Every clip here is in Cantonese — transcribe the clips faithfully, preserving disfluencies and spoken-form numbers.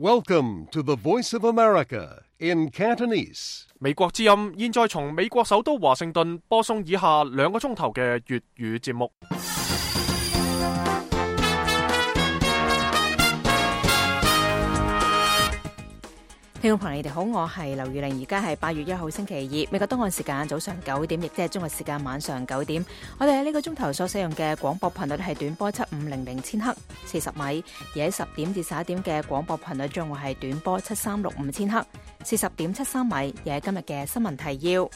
Welcome to the Voice of America in Cantonese. 美國之音現在從美國首都華盛頓播送以下兩個鐘頭嘅粵語節目。聽眾朋友，你哋好，我係劉玉玲，而家係八月一號星期二，美國東岸時間早上九點，亦即係中國時間晚上九點。我哋喺呢個鐘頭所使用嘅廣播頻率係短波七五零零千赫四十米，而喺十點至十一點嘅廣播頻率將會係短波七三六五千赫四十點七三米。而喺今日嘅新聞提要，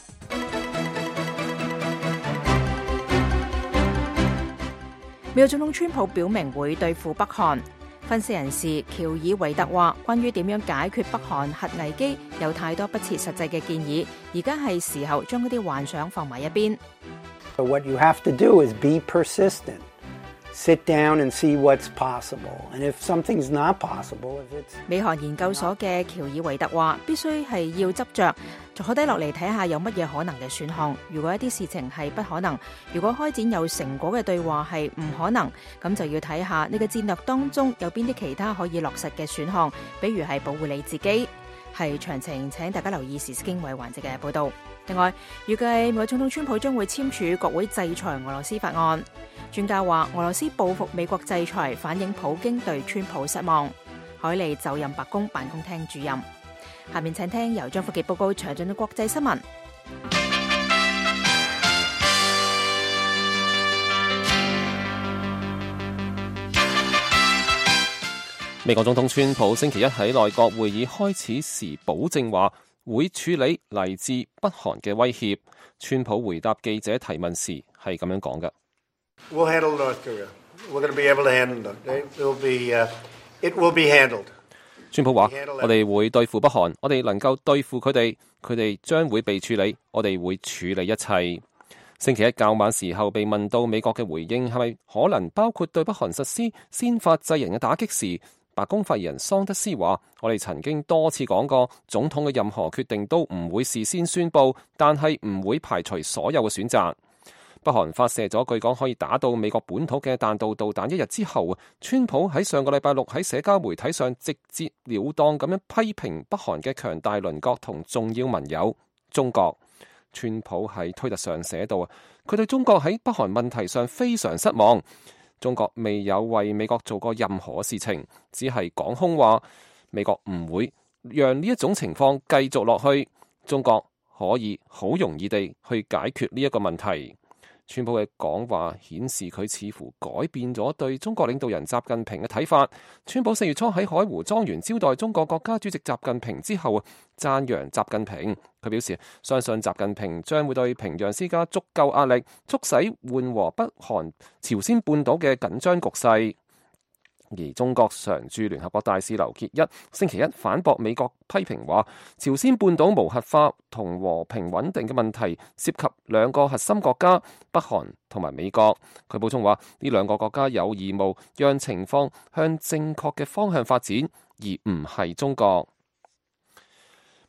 美國總統川普表明會對付北韓。分析人士喬爾維特話，關於點樣解決北韓核危機，有太多不切實際嘅建議，而家係時候將嗰啲幻想放埋一邊。So what you have to do is be persistent. Sit down and see what's possible. And if something's not possible, if it's 美韓研究所嘅喬爾維特話，必須係要執着，坐低落嚟睇下有乜嘢可能嘅選項。如果一啲事情係不可能，如果開展有成果嘅對話係唔可能，咁就要睇下你嘅戰略當中有邊啲其他可以落實嘅選項，比如係保護你自己。係詳情請大家留意時事經緯環節嘅報導。另外，預計美國總統川普將會簽署國會制裁俄羅斯法案。專家話，俄羅斯報復美國制裁，反映普京對川普失望。凱利就任白宮辦公廳主任。下面請聽由張福傑報告詳盡嘅國際新聞。美國總統川普星期一喺內閣會議開始時保證話會處理嚟自北韓嘅威脅。川普回答記者提問時係咁樣講嘅。We'll handle North Korea. We're going to be able to handle it. It will be, uh, it will be handled. 川普話：我哋會對付北韓，我哋能夠對付佢哋，佢哋將會被處理，我哋會處理一切。星期一較晚時候被問到美國嘅回應係咪可能包括對北韓實施先發制人嘅打擊時，白宮發言人桑德斯話：我哋曾經多次講過，總統嘅任何決定都唔會事先宣佈，但係唔會排除所有嘅選擇。北韓發射咗據講可以打到美國本土嘅彈道導彈一日之後，川普喺上個禮拜六喺社交媒體上直截了當咁樣批評北韓嘅強大鄰國同重要盟友中國。川普喺推特上寫到，佢對中國喺北韓問題上非常失望。中國未有為美國做過任何事情，只係講空話。美國唔會讓呢一種情況繼續落去，中國可以好容易地去解決呢一個問題。川普嘅講話顯示佢似乎改變咗對中國領導人習近平嘅睇法。川普四月初喺海湖莊園招待中國國家主席習近平之後，讚揚習近平。佢表示相信習近平將會對平壤施加足夠壓力，促使緩和北韓朝鮮半島嘅緊張局勢。而中國常駐聯合國大使劉結一星期一反駁美國批評話，朝鮮半島無核化同和，和平穩定嘅問題涉及兩個核心國家北韓同埋美國。佢補充話，呢兩個國家有義務讓情況向正確嘅方向發展，而唔係中國。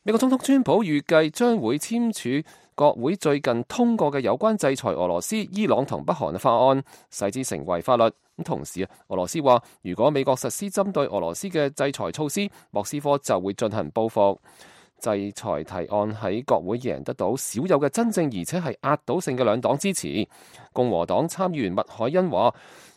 美國總統川普預計將會簽署國會最近通過嘅有關制裁俄羅斯、伊朗同北韓嘅法案，使之成為法律。咁同時啊，俄羅斯話如果美國實施針對俄羅斯嘅制裁措施，莫斯科就會進行報復。制裁提案喺國會贏得到少有嘅真正而且係壓倒性嘅兩黨支持。共和黨參議員麥凱恩話：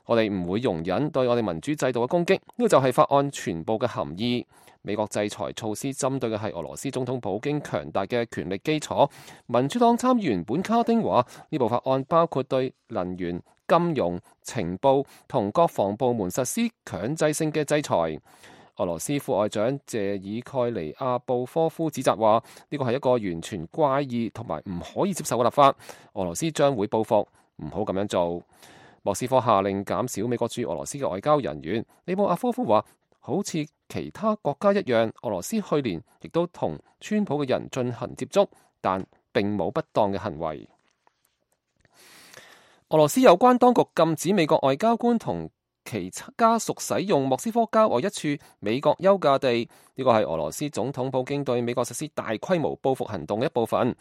我哋唔會容忍對我哋民主制度嘅攻擊，呢個就係法案全部嘅含義。美國制裁措施針對嘅係俄羅斯總統普京強大嘅權力基礎。民主黨參議員本卡丁話：呢部法案包括對能源、金融、情報同國防部門實施強制性嘅制裁。俄羅斯副外長謝爾蓋尼亞布科夫指責話：呢個係一個完全怪異同埋唔可以接受嘅立法。俄羅斯將會報復，唔好咁樣做。莫斯科下令減少美國駐俄羅斯嘅外交人員。利布阿科夫話：好似其他國家一樣，俄羅斯去年亦都同川普嘅人進行接觸，但並冇不當嘅行為。俄羅斯有關當局禁止美國外交官同其家屬使用莫斯科郊外一處美國休假地，呢個係俄羅斯總統普京對美國實施大規模報復行動嘅一部分。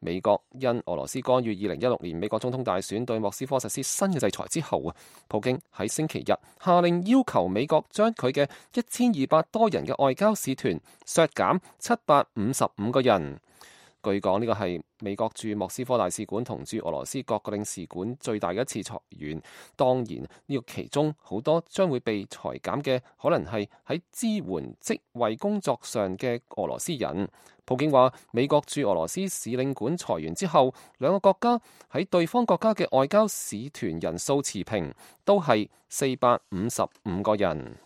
美國因俄羅斯干預二零一六年美國總統大選對莫斯科實施新嘅制裁之後啊，普京喺星期日下令要求美國將佢嘅一千二百多人嘅外交使團削減七百五十五個人。據講呢個係美國駐莫斯科大使館同駐俄羅斯各個領事館最大嘅一次裁員。當然呢個其中好多將會被裁減嘅，可能係喺支援職位工作上嘅俄羅斯人。普京話美國駐俄羅斯使領館裁員之後，兩個國家喺對方國家嘅外交使團人數持平，都係四百五十五個人。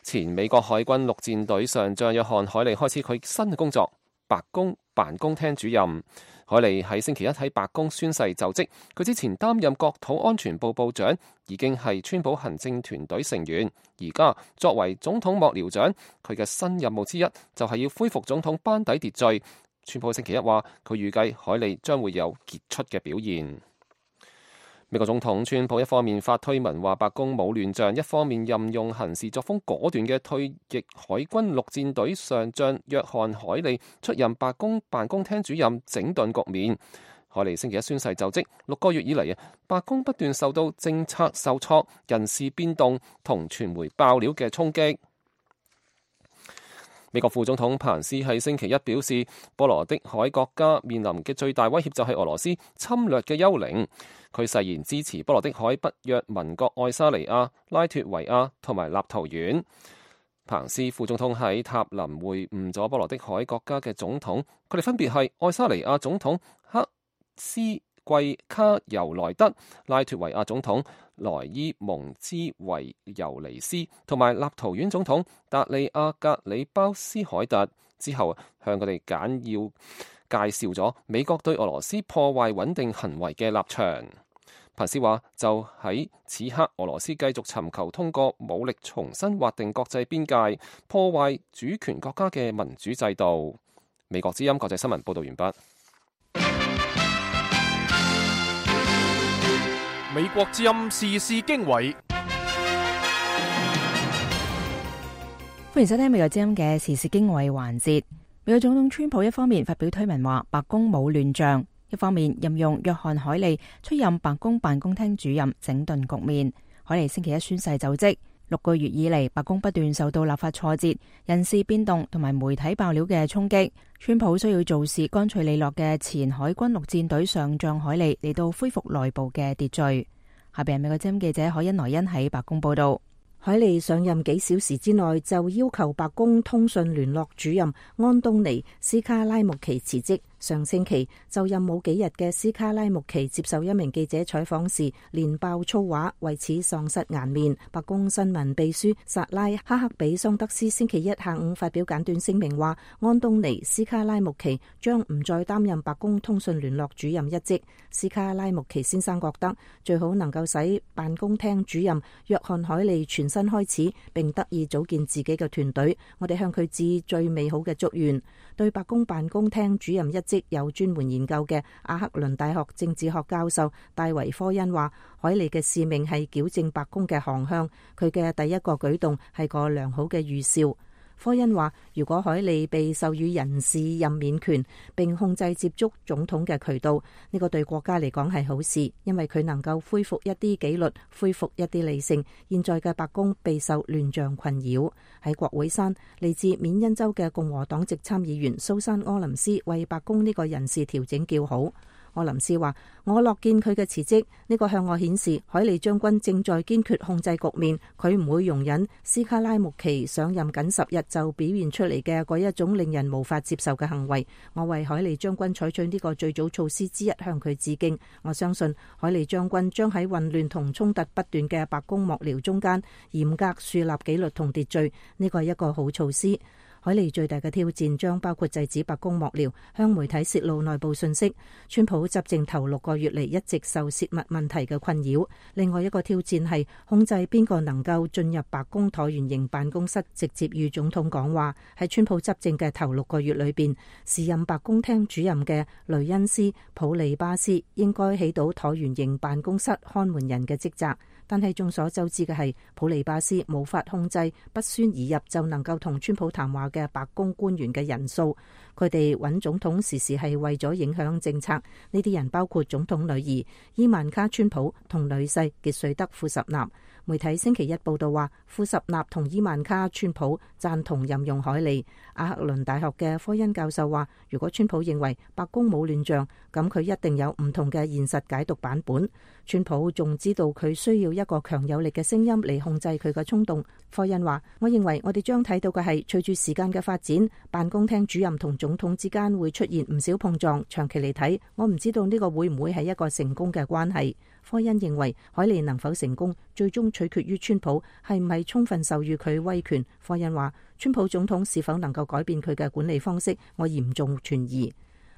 前美國海軍陸戰隊上將約翰海利開始佢新嘅工作，白宮辦公廳主任。海利喺星期一喺白宮宣誓就職。佢之前擔任國土安全部部長，已經係川普行政團隊成員。而家作為總統幕僚長，佢嘅新任務之一就係要恢復總統班底秩序。川普星期一話，佢預計海利將會有傑出嘅表現。美國總統川普一方面發推文話白宮冇亂象，一方面任用行事作風果斷嘅退役海軍陸戰隊上將約翰海利出任白宮辦公廳主任，整頓局面。海利星期一宣誓就職，六個月以嚟啊，白宮不斷受到政策受挫、人事變動同傳媒爆料嘅衝擊。美國副總統彭斯喺星期一表示，波羅的海國家面臨嘅最大威脅就係俄羅斯侵略嘅幽靈。佢誓言支持波羅的海北約盟國愛沙尼亞、拉脫維亞同埋立陶宛。彭斯副總統喺塔林會晤咗波羅的海國家嘅總統，佢哋分別係愛沙尼亞總統克斯季卡尤萊德、拉脫維亞總統萊伊蒙茲維尤尼斯同埋立陶宛總統達利亞格里包斯凱特。之後向佢哋簡要介紹咗美國對俄羅斯破壞穩定行為嘅立場。彭斯話，就喺此刻，俄羅斯繼續尋求通過武力重新劃定國際邊界，破壞主權國家嘅民主制度。美國之音國際新聞報道完畢。美國之音時事經緯，歡迎收聽美國之音嘅時事經緯環節。美國總統川普一方面發表推文話白宮冇亂象，一方面任用約翰海利出任白宮辦公廳主任，整頓局面。海利星期一宣誓就職。六個月以嚟，白宮不斷受到立法挫折、人事變動同埋媒體爆料嘅衝擊。川普需要做事乾脆利落嘅前海軍陸戰隊上將海利嚟到恢復內部嘅秩序。下邊係美國之音記者海恩萊恩喺白宮報道。海利上任幾小時之內就要求白宮通訊聯絡主任安東尼斯卡拉木奇辭職。上星期就任冇幾日嘅斯卡拉木奇接受一名記者採訪時連爆粗話，為此喪失顏面。白宮新聞秘書薩拉哈克比桑德斯星期一下午發表簡短聲明話，安東尼斯卡拉木奇將唔再擔任白宮通訊聯絡主任一職。斯卡拉木奇先生覺得最好能夠使辦公廳主任約翰海利全新開始，並得以組建自己嘅團隊。我哋向佢致最美好嘅祝願。對白宮辦公廳主任一職有專門研究嘅阿克倫大學政治學教授戴維科恩話，海利嘅使命係矯正白宮嘅航向，佢嘅第一個舉動係個良好嘅預兆。科恩話，如果海利被授予人事任免權並控制接觸總統嘅渠道，呢個對國家嚟講係好事，因為佢能夠恢復一啲紀律，恢復一啲理性。現在嘅白宮備受亂象困擾。喺國會山，嚟自緬因州嘅共和黨籍參議員蘇珊柯林斯為白宮呢個人事調整叫好。柯林斯話，我樂見佢嘅辭職，呢個向我顯示海利將軍正在堅決控制局面，佢唔會容忍斯卡拉木奇上任僅十日就表現出嚟嘅嗰一種令人無法接受嘅行為。我為海利將軍採取呢個最早措施之一向佢致敬。我相信海利將軍將喺混亂同衝突不斷嘅白宮幕僚中間嚴格樹立紀律同秩序，呢個係一個好措施。海利最大嘅挑戰將包括制止白宮幕僚向媒體泄露內部信息。川普執政頭六個月嚟一直受泄密問題嘅困擾。另外一個挑戰係控制邊個能夠進入白宮橢圓形辦公室直接與總統講話。喺川普執政嘅頭六個月裏邊，時任白宮廳主任嘅雷恩斯普利巴斯應該起到橢圓形辦公室看門人嘅職責。但係眾所周知嘅係，普利巴斯無法控制不宣而入就能夠同川普談話嘅白宮官員嘅人數。佢哋揾總統時時係為咗影響政策。呢啲人包括總統女兒伊萬卡川普同女婿傑瑞德庫什納。媒體星期一報道話，庫什納同伊萬卡川普贊同任用凱利。阿克倫大學嘅科恩教授話，如果川普認為白宮冇亂象，咁佢一定有唔同嘅現實解讀版本。川普仲知道佢需要一個強有力嘅聲音嚟控制佢嘅衝動。科恩話，我認為我哋將睇到嘅係，隨住時間嘅發展，辦公廳主任同總統之間會出現唔少碰撞。長期嚟睇，我唔知道呢個會唔會係一個成功嘅關係。科恩認為凱利能否成功，最終取決於川普係唔係充分授予佢威權。科恩話，川普總統是否能夠改變佢嘅管理方式，我嚴重存疑。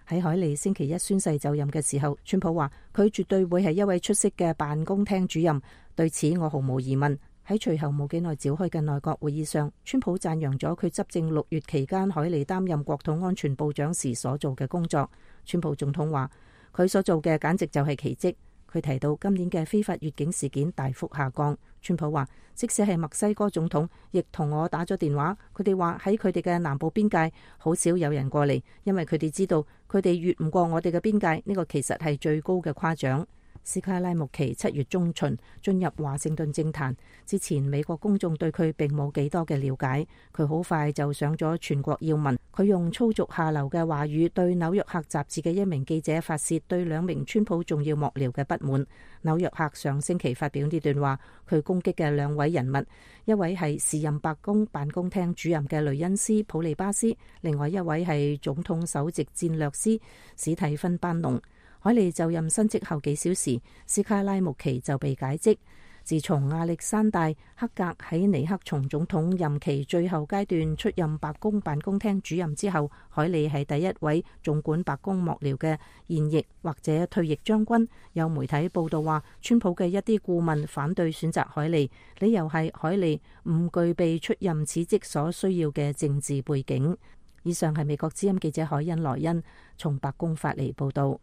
喺凱利星期一宣誓就任嘅時候，川普話佢絕對會係一位出色嘅辦公廳主任，對此我毫無疑問。喺隨後冇幾耐召開嘅內閣會議上，川普讚揚咗佢執政六月期間凱利擔任國土安全部長時所做嘅工作。川普總統話佢所做嘅簡直就係奇蹟。佢提到今年嘅非法越境事件大幅下降。川普話，即使係墨西哥總統亦同我打咗電話，佢哋話喺佢哋嘅南部邊界好少有人過嚟，因為佢哋知道佢哋越唔過我哋嘅邊界，呢個其實係最高嘅誇獎。斯卡拉穆奇七月中旬進入華盛頓政壇之前，美國公眾對佢並冇幾多嘅了解。佢好快就上咗全國要聞。佢用粗俗下流嘅話語對紐約客雜誌嘅一名記者發洩對兩名川普重要幕僚嘅不滿。紐約客上星期發表呢段話，佢攻擊嘅兩位人物，一位係時任白宮辦公廳主任嘅雷恩斯普利巴斯，另外一位係總統首席戰略師史蒂芬班農。凱利就任新職後幾小時，斯卡拉穆奇就被解職。自從亞歷山大克格喺尼克松總統任期最後階段出任白宮辦公廳主任之後，凱利係第一位總管白宮幕僚嘅現役或者退役將軍。有媒體報道話，川普嘅一啲顧問反對選擇凱利，理由係凱利唔具備出任此職所需要嘅政治背景。以上係美國之音記者海恩萊恩從白宮發嚟報道。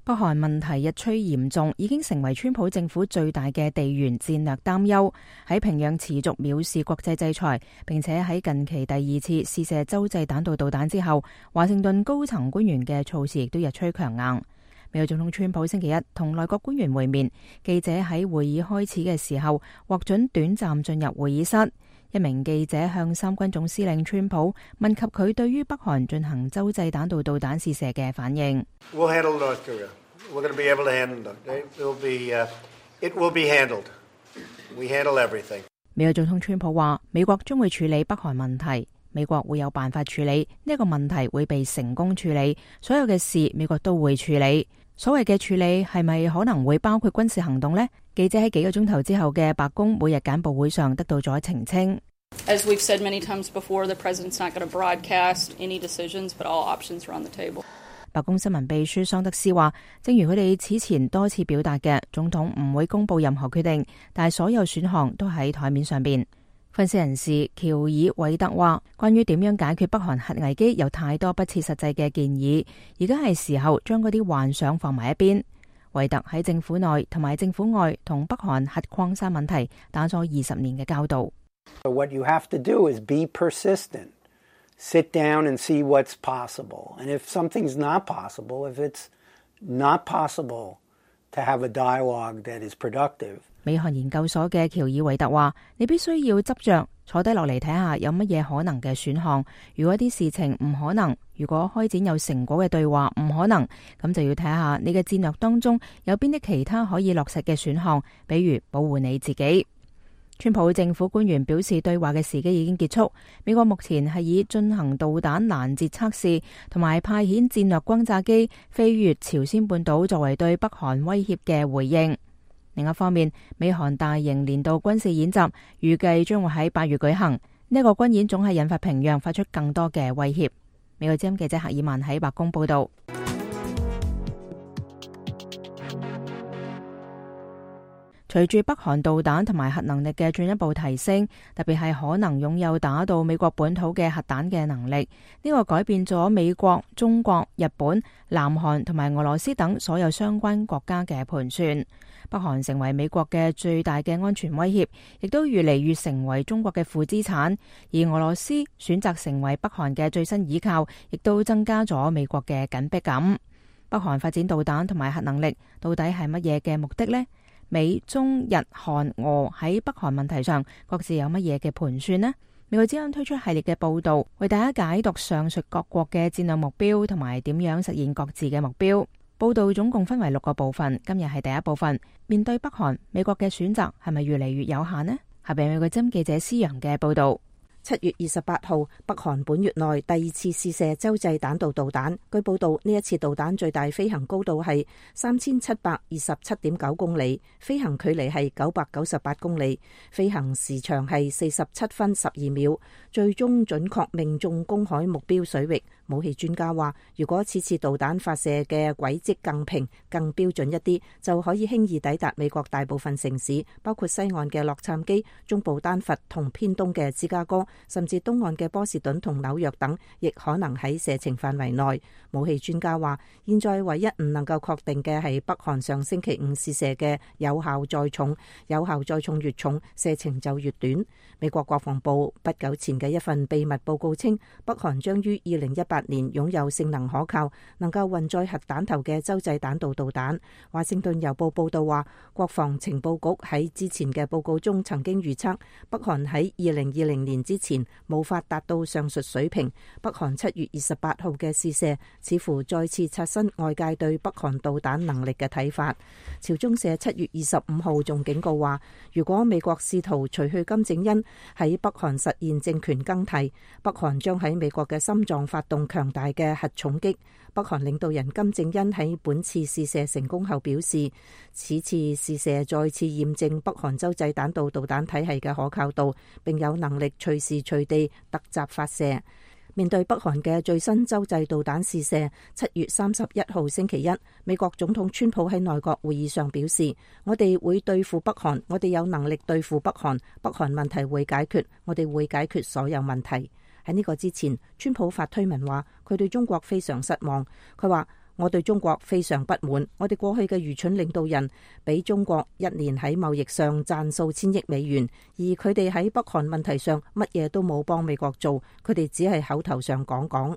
北韓問題日趨嚴重，已經成為川普政府最大嘅地緣戰略擔憂。喺平壤持續藐視國際制裁，並且喺近期第二次試射洲際彈道導彈之後，華盛頓高層官員嘅措辭亦都日趨強硬。美國總統川普星期一同內閣官員會面，記者喺會議開始嘅時候獲准短暫進入會議室。一名記者向三軍總司令川普問及佢對於北韓進行洲際彈道導彈試射嘅反應。We'll handle North Korea. We're going to be able to handle it. It will be, uh, it will be handled. We handle everything. 美國總統川普話：美國將會處理北韓問題，美國會有辦法處理呢個問題，會被成功處理。所有嘅事美國都會處理。所謂嘅處理係咪可能會包括軍事行動呢？記者喺幾個鐘頭之後嘅白宮每日簡報會上得到咗澄清。As we've said many times before, the president's not going to broadcast any decisions, but all options are on the table. 白宮新聞秘書桑德斯話，正如佢哋此前多次表達嘅，總統唔會公布任何決定，但係所有選項都喺台面上邊。分析人士喬爾韋特話，關於點樣解決北韓核危機有太多不切實際嘅建議，而家係時候將嗰啲幻想放埋一邊。韋特喺政府內同埋政府外同北韓核擴散問題打咗二十年嘅交道。So what you have to do is be persistent. Sit down and see what's possible. And if something's not possible, if it's not possible to have a dialogue that is productive. 美韓研究所嘅喬爾韋特話，你必須要執着坐低落嚟睇下有乜嘢可能嘅選項。如果啲事情唔可能，如果開展有成果嘅對話唔可能，咁就要睇下你嘅戰略當中有邊啲其他可以落實嘅選項，比如保護你自己。川普政府官員表示，對話嘅時機已經結束。美國目前係以進行導彈攔截測試同埋派遣戰略轟炸機飛越朝鮮半島作為對北韓威脅嘅回應。另一方面，美韓大型年度軍事演習預計將會喺八月舉行。呢一個軍演總係引發平壤發出更多嘅威脅。美國之音記者赫爾曼喺白宮報道。隨住北韓導彈同埋核能力嘅進一步提升，特別係可能擁有打到美國本土嘅核彈嘅能力，呢個改變咗美國、中國、日本、南韓同埋俄羅斯等所有相關國家嘅盤算。北韓成為美國嘅最大嘅安全威脅，亦都越嚟越成為中國嘅負資產，而俄羅斯選擇成為北韓嘅最新倚靠，亦都增加咗美國嘅緊迫感。北韓發展導彈同埋核能力，到底係乜嘢嘅目的呢？美、中、日、韓、俄喺北韓問題上各自有乜嘢嘅盤算呢？美國之音推出系列嘅報道，為大家解讀上述各國嘅戰略目標同埋點樣實現各自嘅目標。報道總共分為六個部分，今日係第一部分。面對北韓，美國嘅選擇係咪越嚟越有限呢？下邊美國之音記者施洋嘅報道。七月二十八號，北韓本月內第二次試射洲際彈道導彈。據報道，呢一次導彈最大飛行高度係三千七百二十七點九公里，飛行距離係九百九十八公里，飛行時長係四十七分十二秒，最終準確命中公海目標水域。武器專家話，如果此次導彈發射嘅軌跡更平、更標準一啲，就可以輕易抵達美國大部分城市，包括西岸嘅洛杉磯、中部丹佛同偏東嘅芝加哥，甚至東岸嘅波士頓同紐約等，亦可能喺射程範圍內。武器專家話，現在唯一唔能夠確定嘅係北韓上星期五試射嘅有效載重，有效載重越重，射程就越短。美國國防部不久前嘅一份秘密報告稱，北韓將於二零一八年擁有性能可靠、能夠運載核彈頭嘅洲際彈道導彈。華盛頓郵報報道話，國防情報局喺之前嘅報告中曾經預測，北韓喺二零二零年之前無法達到上述水平。北韓七月二十八號嘅試射似乎再次刷新外界對北韓導彈能力嘅睇法。朝中社七月二十五號仲警告話，如果美國試圖除去金正恩喺北韓實現政權更替，北韓將喺美國嘅心臟發動強大嘅核重擊。北韓領導人金正恩喺本次試射成功後表示，此次試射再次驗證北韓洲際彈道導彈體系嘅可靠度，並有能力隨時隨地突襲發射。面對北韓嘅最新洲際導彈試射，七月三十一號星期一，美國總統川普喺內閣會議上表示，我哋會對付北韓，我哋有能力對付北韓，北韓問題會解決，我哋會解決所有問題。喺呢個之前，川普發推文話，佢對中國非常失望。佢話，我對中國非常不滿，我哋過去嘅愚蠢領導人俾中國一年喺貿易上賺數千億美元，而佢哋喺北韓問題上乜嘢都冇幫美國做，佢哋只係口頭上講講。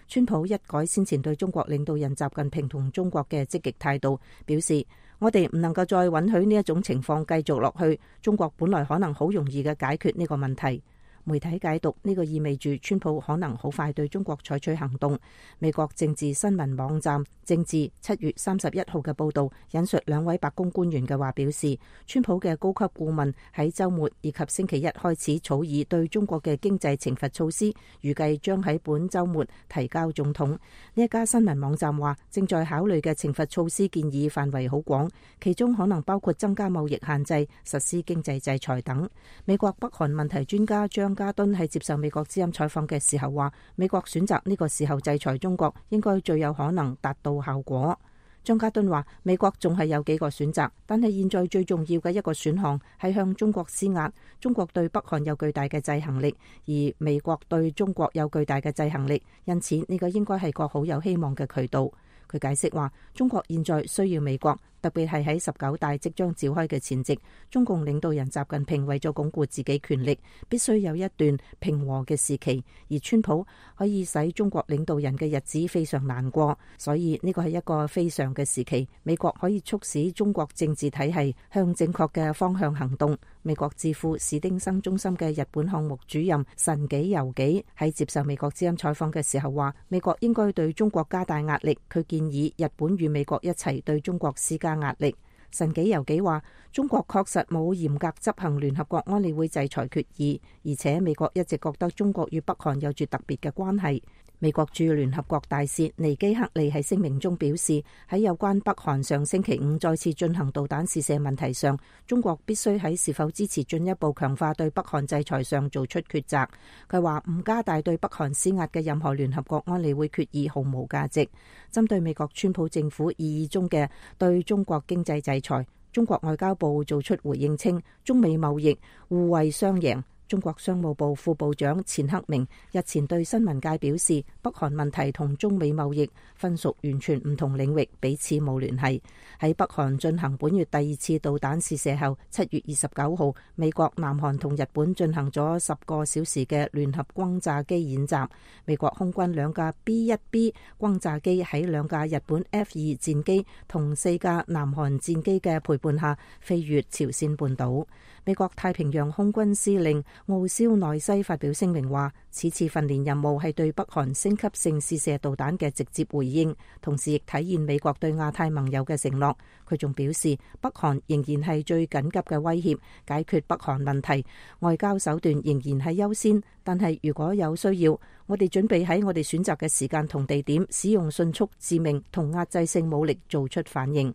川普一改先前對中國領導人習近平同中國嘅積極態度，表示我哋唔能夠再允許呢一種情況繼續落去，中國本來可能好容易嘅解決呢個問題。媒體解讀呢個意味住川普可能好快對中國採取行動。美國政治新聞網站政治七月三十一號嘅報導引述兩位白宮官員嘅話表示，川普嘅高級顧問喺週末以及星期一開始草擬對中國嘅經濟懲罰措施，預計將喺本週末提交總統。呢一家新聞網站話，正在考慮嘅懲罰措施建議範圍好廣，其中可能包括增加貿易限制、實施經濟制裁等。美國北韓問題專家張加敦喺接受美國之音採訪嘅時候話，美國選擇呢個時候制裁中國，應該最有可能達到效果。張加敦話，美國仲係有幾個選擇，但係現在最重要嘅一個選項係向中國施壓。中國對北韓有巨大嘅制衡力，而美國對中國有巨大嘅制衡力，因此呢個應該係個好有希望嘅渠道。佢解釋話，中國現在需要美國，特別係喺十九大即將召開嘅前夕，中共領導人習近平為咗鞏固自己權力，必須有一段平和嘅時期，而川普可以使中國領導人嘅日子非常難過，所以呢個係一個非常嘅時期，美國可以促使中國政治體系向正確嘅方向行動。美國智庫史丁生中心嘅日本項目主任神紀由紀喺接受美國之音採訪嘅時候話，美國應該對中國加大壓力，佢建議日本與美國一齊對中國施加壓力。神紀由紀話，中國確實冇嚴格執行聯合國安理會制裁決議，而且美國一直覺得中國與北韓有住特別嘅關係。美國駐聯合國大使尼基克利喺聲明中表示，喺有關北韓上星期五再次進行導彈試射問題上，中國必須喺是否支持進一步強化對北韓制裁上做出抉擇。佢話唔加大對北韓施壓嘅任何聯合國安理會決議毫無價值。針對美國川普政府意義中嘅對中國經濟制裁，中國外交部做出回應稱，中美貿易互惠雙贏。中國商務部副部長錢克明日前對新聞界表示，北韓問題同中美貿易分屬完全唔同領域，彼此冇聯繫。喺北韓進行本月第二次導彈試射後，七月二十九號，美國、南韓同日本進行咗十個小時嘅聯合轟炸機演習。美國空軍兩架 B 一 B 轟炸機喺兩架日本 F 二戰機同四架南韓戰機嘅陪伴下飛越朝鮮半島。美國太平洋空軍司令奧肖內西發表聲明話，此次訓練任務係對北韓升級性試射導彈嘅直接回應，同時亦體現美國對亞太盟友嘅承諾。佢仲表示，北韓仍然係最緊急嘅威脅，解決北韓問題，外交手段仍然係優先。但係如果有需要，我哋準備喺我哋選擇嘅時間同地點，使用迅速、致命同壓制性武力做出反應。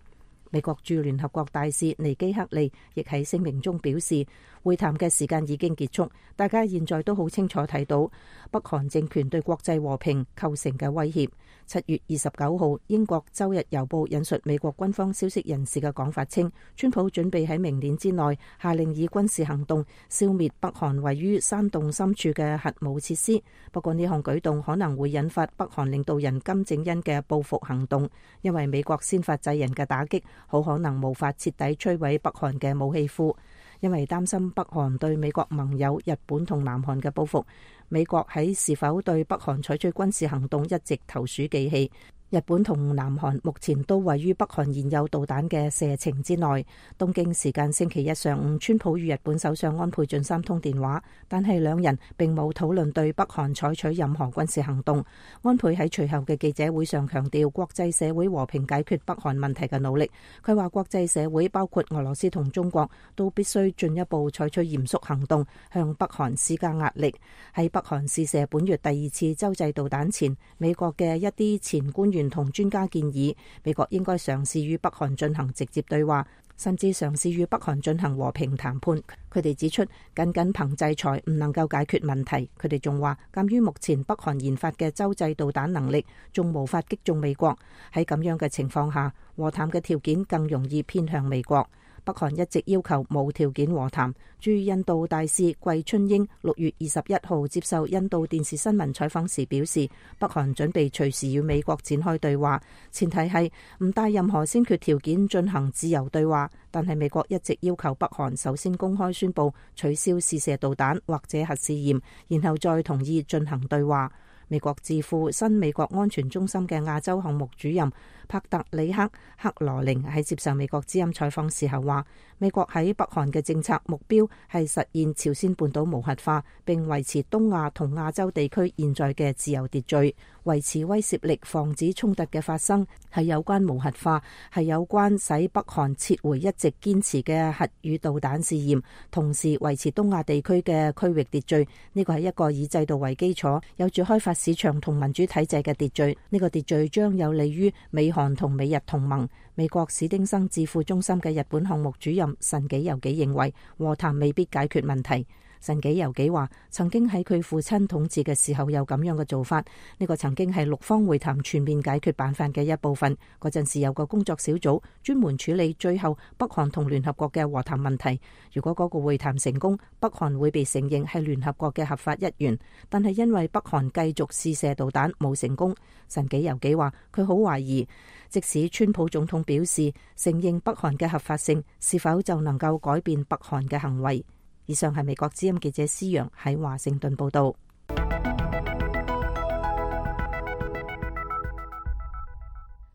美國駐聯合國大使尼基克利亦喺聲明中表示，會談嘅時間已經結束，大家現在都好清楚睇到北韓政權對國際和平構成嘅威脅。七月二十九號，英國周日郵報引述美國軍方消息人士嘅講法稱，川普準備喺明年之內下令以軍事行動消滅北韓位於山洞深處嘅核武設施。不過呢項舉動可能會引發北韓領導人金正恩嘅報復行動，因為美國先發制人嘅打擊好可能無法徹底摧毀北韓嘅武器庫。因為擔心北韓對美國盟友日本同南韓嘅報復，美國喺是否對北韓採取軍事行動一直投鼠忌器。日本同南韓目前都位於北韓現有導彈嘅射程之內。東京時間星期一上午，川普與日本首相安倍晉三通電話，但係兩人並冇討論對北韓採取任何軍事行動。安倍喺隨後嘅記者會上強調國際社會和平解決北韓問題嘅努力。佢話國際社會包括俄羅斯同中國都必須進一步採取嚴肅行動，向北韓施加壓力。喺北韓試射本月第二次洲際導彈前，美國嘅一啲前官員同專家建議，美國應該嘗試與北韓進行直接對話，甚至嘗試與北韓進行和平談判。佢哋指出，僅僅憑制裁唔能夠解決問題。佢哋仲話，鑑於目前北韓研發嘅洲際導彈能力，仲無法擊中美國。喺咁樣嘅情況下，和談嘅條件更容易偏向美國。北韓一直要求無條件和談。駐印度大使季春英六月二十一號接受印度電視新聞採訪時表示，北韓準備隨時與美國展開對話，前提係唔帶任何先決條件進行自由對話。但係美國一直要求北韓首先公開宣布取消試射導彈或者核試驗，然後再同意進行對話。美國智庫新美國安全中心嘅亞洲項目主任帕特里克克羅寧喺接受美國之音採訪時候話，美國喺北韓嘅政策目標係實現朝鮮半島無核化，並維持東亞同亞洲地區現在嘅自由秩序，維持威懾力，防止衝突嘅發生，係有關無核化，係有關使北韓撤回一直堅持嘅核與導彈試驗，同時維持東亞地區嘅區域秩序。呢個係一個以制度為基礎，有住開發市場同民主體制嘅秩序。呢個秩序將有利於美韓同美日同盟。美國史丁生智庫中心嘅日本項目主任神紀由紀認為，和談未必解決問題。神紀由紀話，曾經喺佢父親統治嘅時候有咁樣嘅做法，呢個曾經係六方會談全面解決辦法嘅一部分。嗰陣時有個工作小組專門處理最後北韓同聯合國嘅和談問題。如果嗰個會談成功，北韓會被承認係聯合國嘅合法一員。但係因為北韓繼續試射導彈冇成功，神紀由紀話佢好懷疑，即使川普總統表示承認北韓嘅合法性，是否就能夠改變北韓嘅行為？以上係美國之音記者施洋喺華盛頓報道。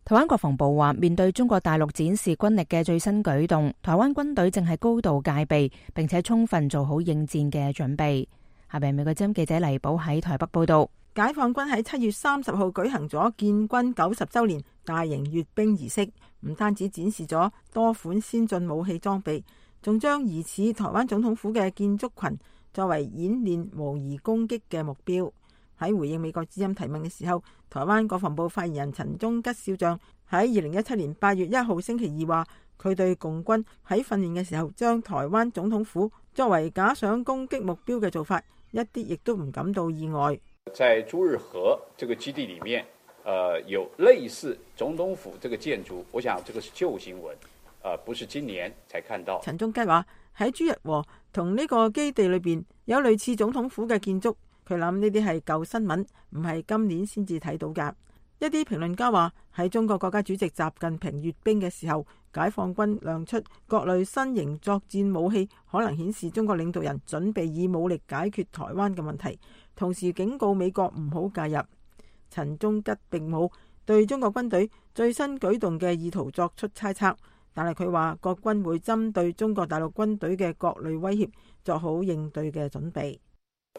台灣國防部話，面對中國大陸展示軍力嘅最新舉動，台灣軍隊正係高度戒備，並且充分做好應戰嘅準備。下邊美國之音記者黎寶喺台北報道。解放軍喺七月三十號舉行咗建軍九十周年大型閱兵儀式，唔單止展示咗多款先進武器裝備，仲將疑似台灣總統府嘅建築群作為演練模擬攻擊嘅目標。喺回應美國之音提問嘅時候，台灣國防部發言人陳忠吉少將喺二零一七年八月一號星期二話，佢對共軍喺訓練嘅時候將台灣總統府作為假想攻擊目標嘅做法，一啲亦都唔感到意外。在朱日和這個基地裡面，呃，有類似總統府這個建築，我想這個是舊新聞。呃，不是今年才看到。陳忠吉話喺朱日和同呢個基地裏邊有類似總統府嘅建築，佢諗呢啲係舊新聞，唔係今年先至睇到㗎。一啲評論家話喺中國國家主席習近平閱兵嘅時候，解放軍亮出各類新型作戰武器，可能顯示中國領導人準備以武力解決台灣嘅問題，同時警告美國唔好介入。陳忠吉並冇對中國軍隊最新舉動嘅意圖作出猜測，但係佢話國軍會針對中國大陸軍隊嘅各類威脅做好應對嘅準備。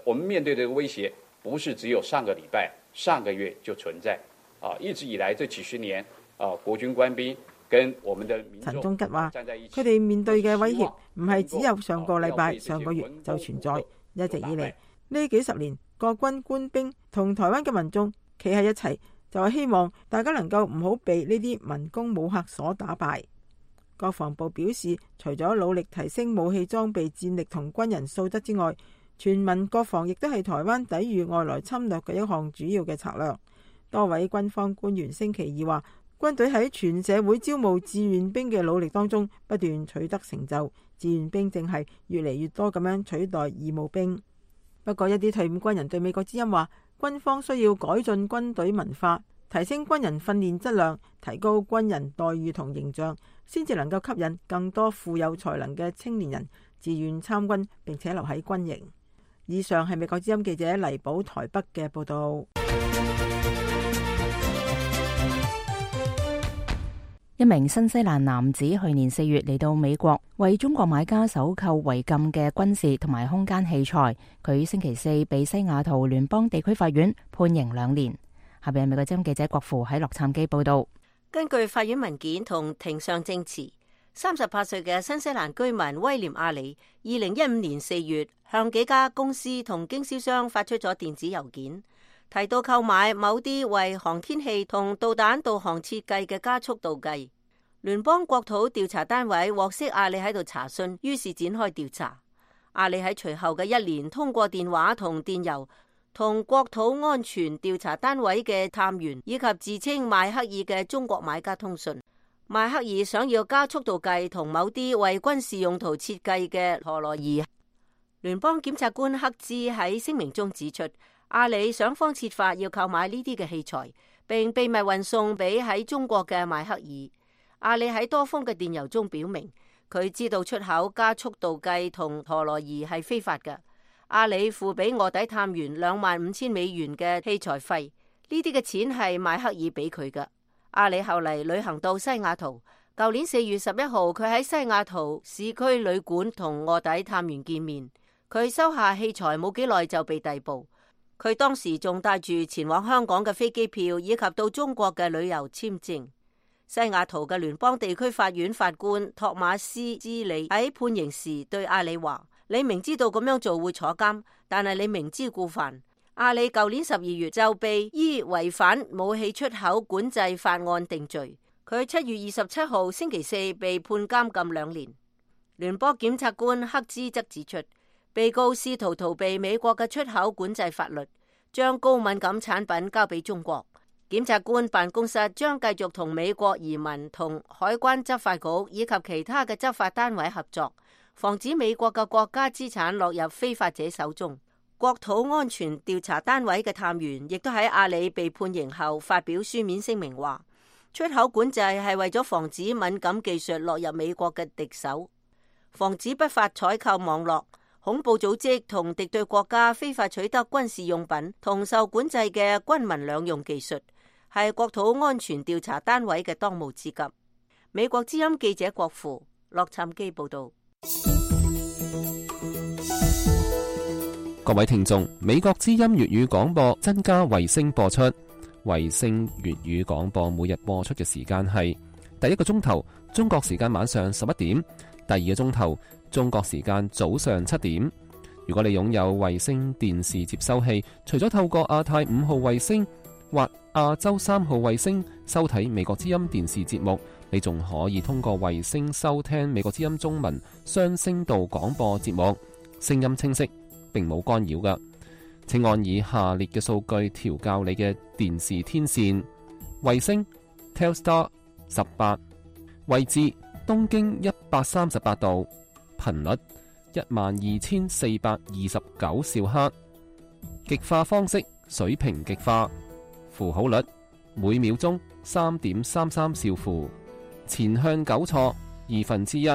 我們面對這個威脅，不是只有上個禮拜、上個月就存在。啊！一直以來這幾十年，啊，國軍官兵跟我們的民眾，陳忠吉話，佢哋面對嘅威脅唔係只有上個禮拜、上個月就存在，一直以嚟呢幾十年，國軍官兵同台灣嘅民眾企喺一齊，就係希望大家能夠唔好被呢啲民工武嚇所打敗。國防部表示，除咗努力提升武器裝備戰力同軍人素質之外，全民國防亦都係台灣抵禦外來侵略嘅一項主要嘅策略。多位軍方官員星期二話，軍隊喺全社會招募志願兵嘅努力當中不斷取得成就，志願兵正係越嚟越多咁樣取代義務兵。不過一啲退伍軍人對美國之音話，軍方需要改進軍隊文化，提升軍人訓練質量，提高軍人待遇同形象，先至能夠吸引更多富有才能嘅青年人自願參軍並且留喺軍營。以上係美國之音記者黎寶台北嘅報道。一名新西蘭男子去年四月嚟到美國，為中國買家搜購違禁嘅軍事同埋空間器材。佢星期四被西雅圖聯邦地區法院判刑兩年。下邊係美國之音記者郭富喺洛杉磯報道。根據法院文件同庭上證詞，三十八歲嘅新西蘭居民威廉阿里，二零一五年四月向幾家公司同經銷商發出咗電子郵件，提到購買某啲為航天器同導彈導航設計嘅加速度計。聯邦國土調查單位獲悉阿里喺度查詢，於是展開調查。阿里喺隨後嘅一年通過電話同電郵同國土安全調查單位嘅探員以及自稱邁克爾嘅中國買家通訊。邁克爾想要加速度計同某啲為軍事用途設計嘅陀螺儀。聯邦檢察官克茲喺聲明中指出，阿里想方設法要購買呢啲嘅器材，並秘密運送俾喺中國嘅邁克爾。阿里喺多封嘅電郵中表明，佢知道出口加速度計同陀螺儀係非法嘅。阿里付俾臥底探員兩萬五千美元嘅器材費，呢啲嘅錢係邁克爾俾佢嘅。阿里後嚟旅行到西雅圖，舊年四月十一號，佢喺西雅圖市區旅館同臥底探員見面。佢收下器材冇幾耐就被逮捕。佢當時仲帶住前往香港嘅飛機票以及到中國嘅旅遊簽證。西雅圖嘅聯邦地區法院法官托馬斯茲里喺判刑時對阿里話：你明知道咁樣做會坐監，但係你明知故犯。阿里舊年十二月就被依違反武器出口管制法案定罪。佢七月二十七號星期四被判監禁兩年。聯邦檢察官克茲則指出，被告試圖逃避美國嘅出口管制法律，將高敏感產品交俾中國。檢察官辦公室將繼續同美國移民同海關執法局以及其他嘅執法單位合作，防止美國嘅國家資產落入非法者手中。國土安全調查單位嘅探員亦都喺阿里被判刑後發表書面聲明話，出口管制係為咗防止敏感技術落入美國嘅敵手，防止不法採購網絡、恐怖組織同敵對國家非法取得軍事用品同受管制嘅軍民兩用技術，係國土安全調查單位嘅當務之急。美國之音記者郭富，洛杉磯報道。各位聽眾，美國之音粵語廣播增加衛星播出。衛星粵語廣播每日播出嘅時間係第一個鐘頭中國時間晚上十一點，第二個鐘頭中國時間早上七點。如果你擁有衛星電視接收器，除咗透過亞太五號衛星或亞洲三號衛星收睇美國之音電視節目，你仲可以通過衛星收聽美國之音中文雙聲道廣播節目，聲音清晰，並冇干擾㗎。請按以下列嘅數據調校你嘅電視天線：衛星 Telstar 十八，位置東經一百三十八度，頻率一萬二千四百二十九兆赫，極化方式水平極化，符號率每秒鐘三點三三兆符，前向糾錯二分之一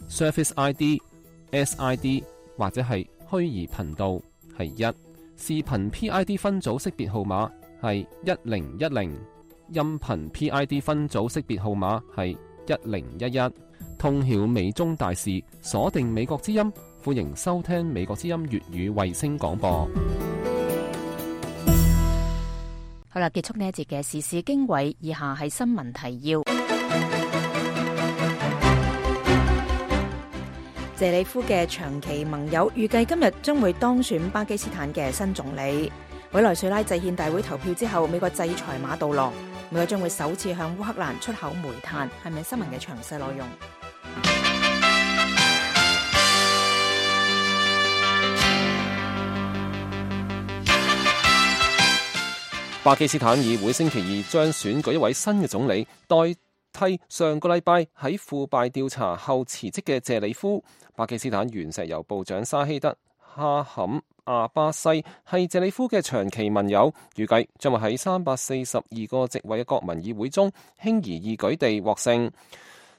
，Surface I D、S I D 或者係虛擬頻道係一，視頻 P I D 分組識別號碼係一零一零，音頻 P I D 分組識別號碼係一零一一。通曉美中大事，鎖定美國之音，歡迎收聽美國之音粵語衛星廣播。好啦，結束呢一節嘅時事經緯，以下係新聞提要。謝里夫嘅長期盟友預計今日將會當選巴基斯坦嘅新總理。委內瑞拉制憲大會投票之後，美國制裁馬杜羅，美國將會首次向烏克蘭出口煤炭。係咪新聞嘅詳細內容？巴基斯坦議會星期二將選舉一位新嘅總理，代替上個禮拜喺腐敗調查後辭職嘅謝里夫。巴基斯坦原石油部長沙希德哈坎阿巴西係謝里夫嘅長期盟友，預計將會喺三百四十二個席位嘅國民議會中輕而易舉地獲勝。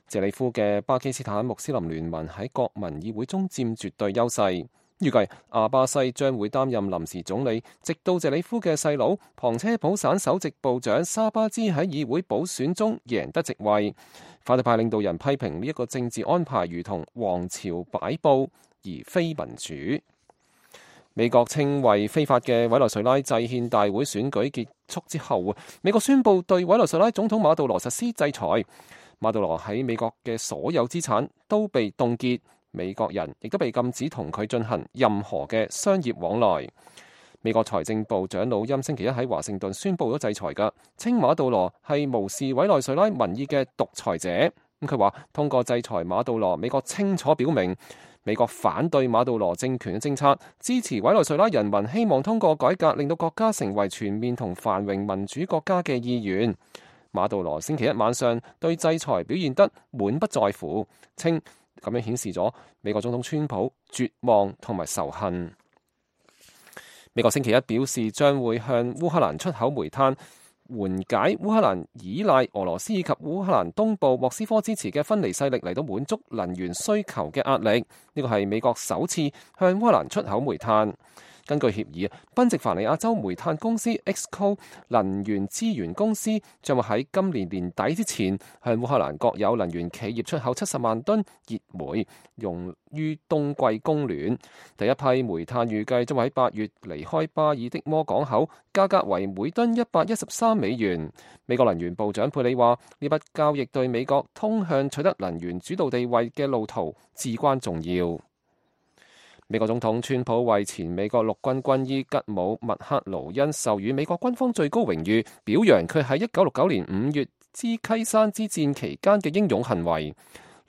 謝里夫嘅巴基斯坦穆斯林聯盟喺國民議會中佔絕對優勢。預計阿巴西將會擔任臨時總理，直到謝里夫嘅細佬旁車普省首席部長沙巴茲喺議會補選中贏得席位。反對派領導人批評呢一個政治安排如同王朝擺布，而非民主。美國稱為非法嘅委內瑞拉制憲大會選舉結束之後，美國宣布對委內瑞拉總統馬杜羅實施制裁。馬杜羅喺美國嘅所有資產都被凍結。美國人亦都被禁止同佢進行任何嘅商業往來。美國財政部長魯欽星期一喺華盛頓宣布咗制裁嘅，稱馬杜羅係無視委內瑞拉民意嘅獨裁者。咁佢話通過制裁馬杜羅，美國清楚表明美國反對馬杜羅政權嘅政策，支持委內瑞拉人民希望通過改革令到國家成為全面同繁榮民主國家嘅意願。馬杜羅星期一晚上對制裁表現得滿不在乎，稱咁樣顯示咗美國總統川普絕望同埋仇恨。美國星期一表示將會向烏克蘭出口煤炭，緩解烏克蘭依賴俄羅斯以及烏克蘭東部莫斯科支持嘅分離勢力嚟到滿足能源需求嘅壓力。呢個係美國首次向烏克蘭出口煤炭。根據協議，賓夕凡尼亞州煤炭公司 Exco 能源資源公司將會喺今年年底之前向烏克蘭國有能源企業出口七十萬噸熱煤，用於冬季供暖。第一批煤炭預計將會喺八月離開巴爾的摩港口，價格為每噸一百一十三美元。美國能源部長佩里話：呢筆交易對美國通向取得能源主導地位嘅路途至關重要。美國總統川普為前美國陸軍軍醫吉姆麥克勞恩授予美國軍方最高榮譽，表揚佢喺一九六九年五月芝溪山之戰期間嘅英勇行為。呢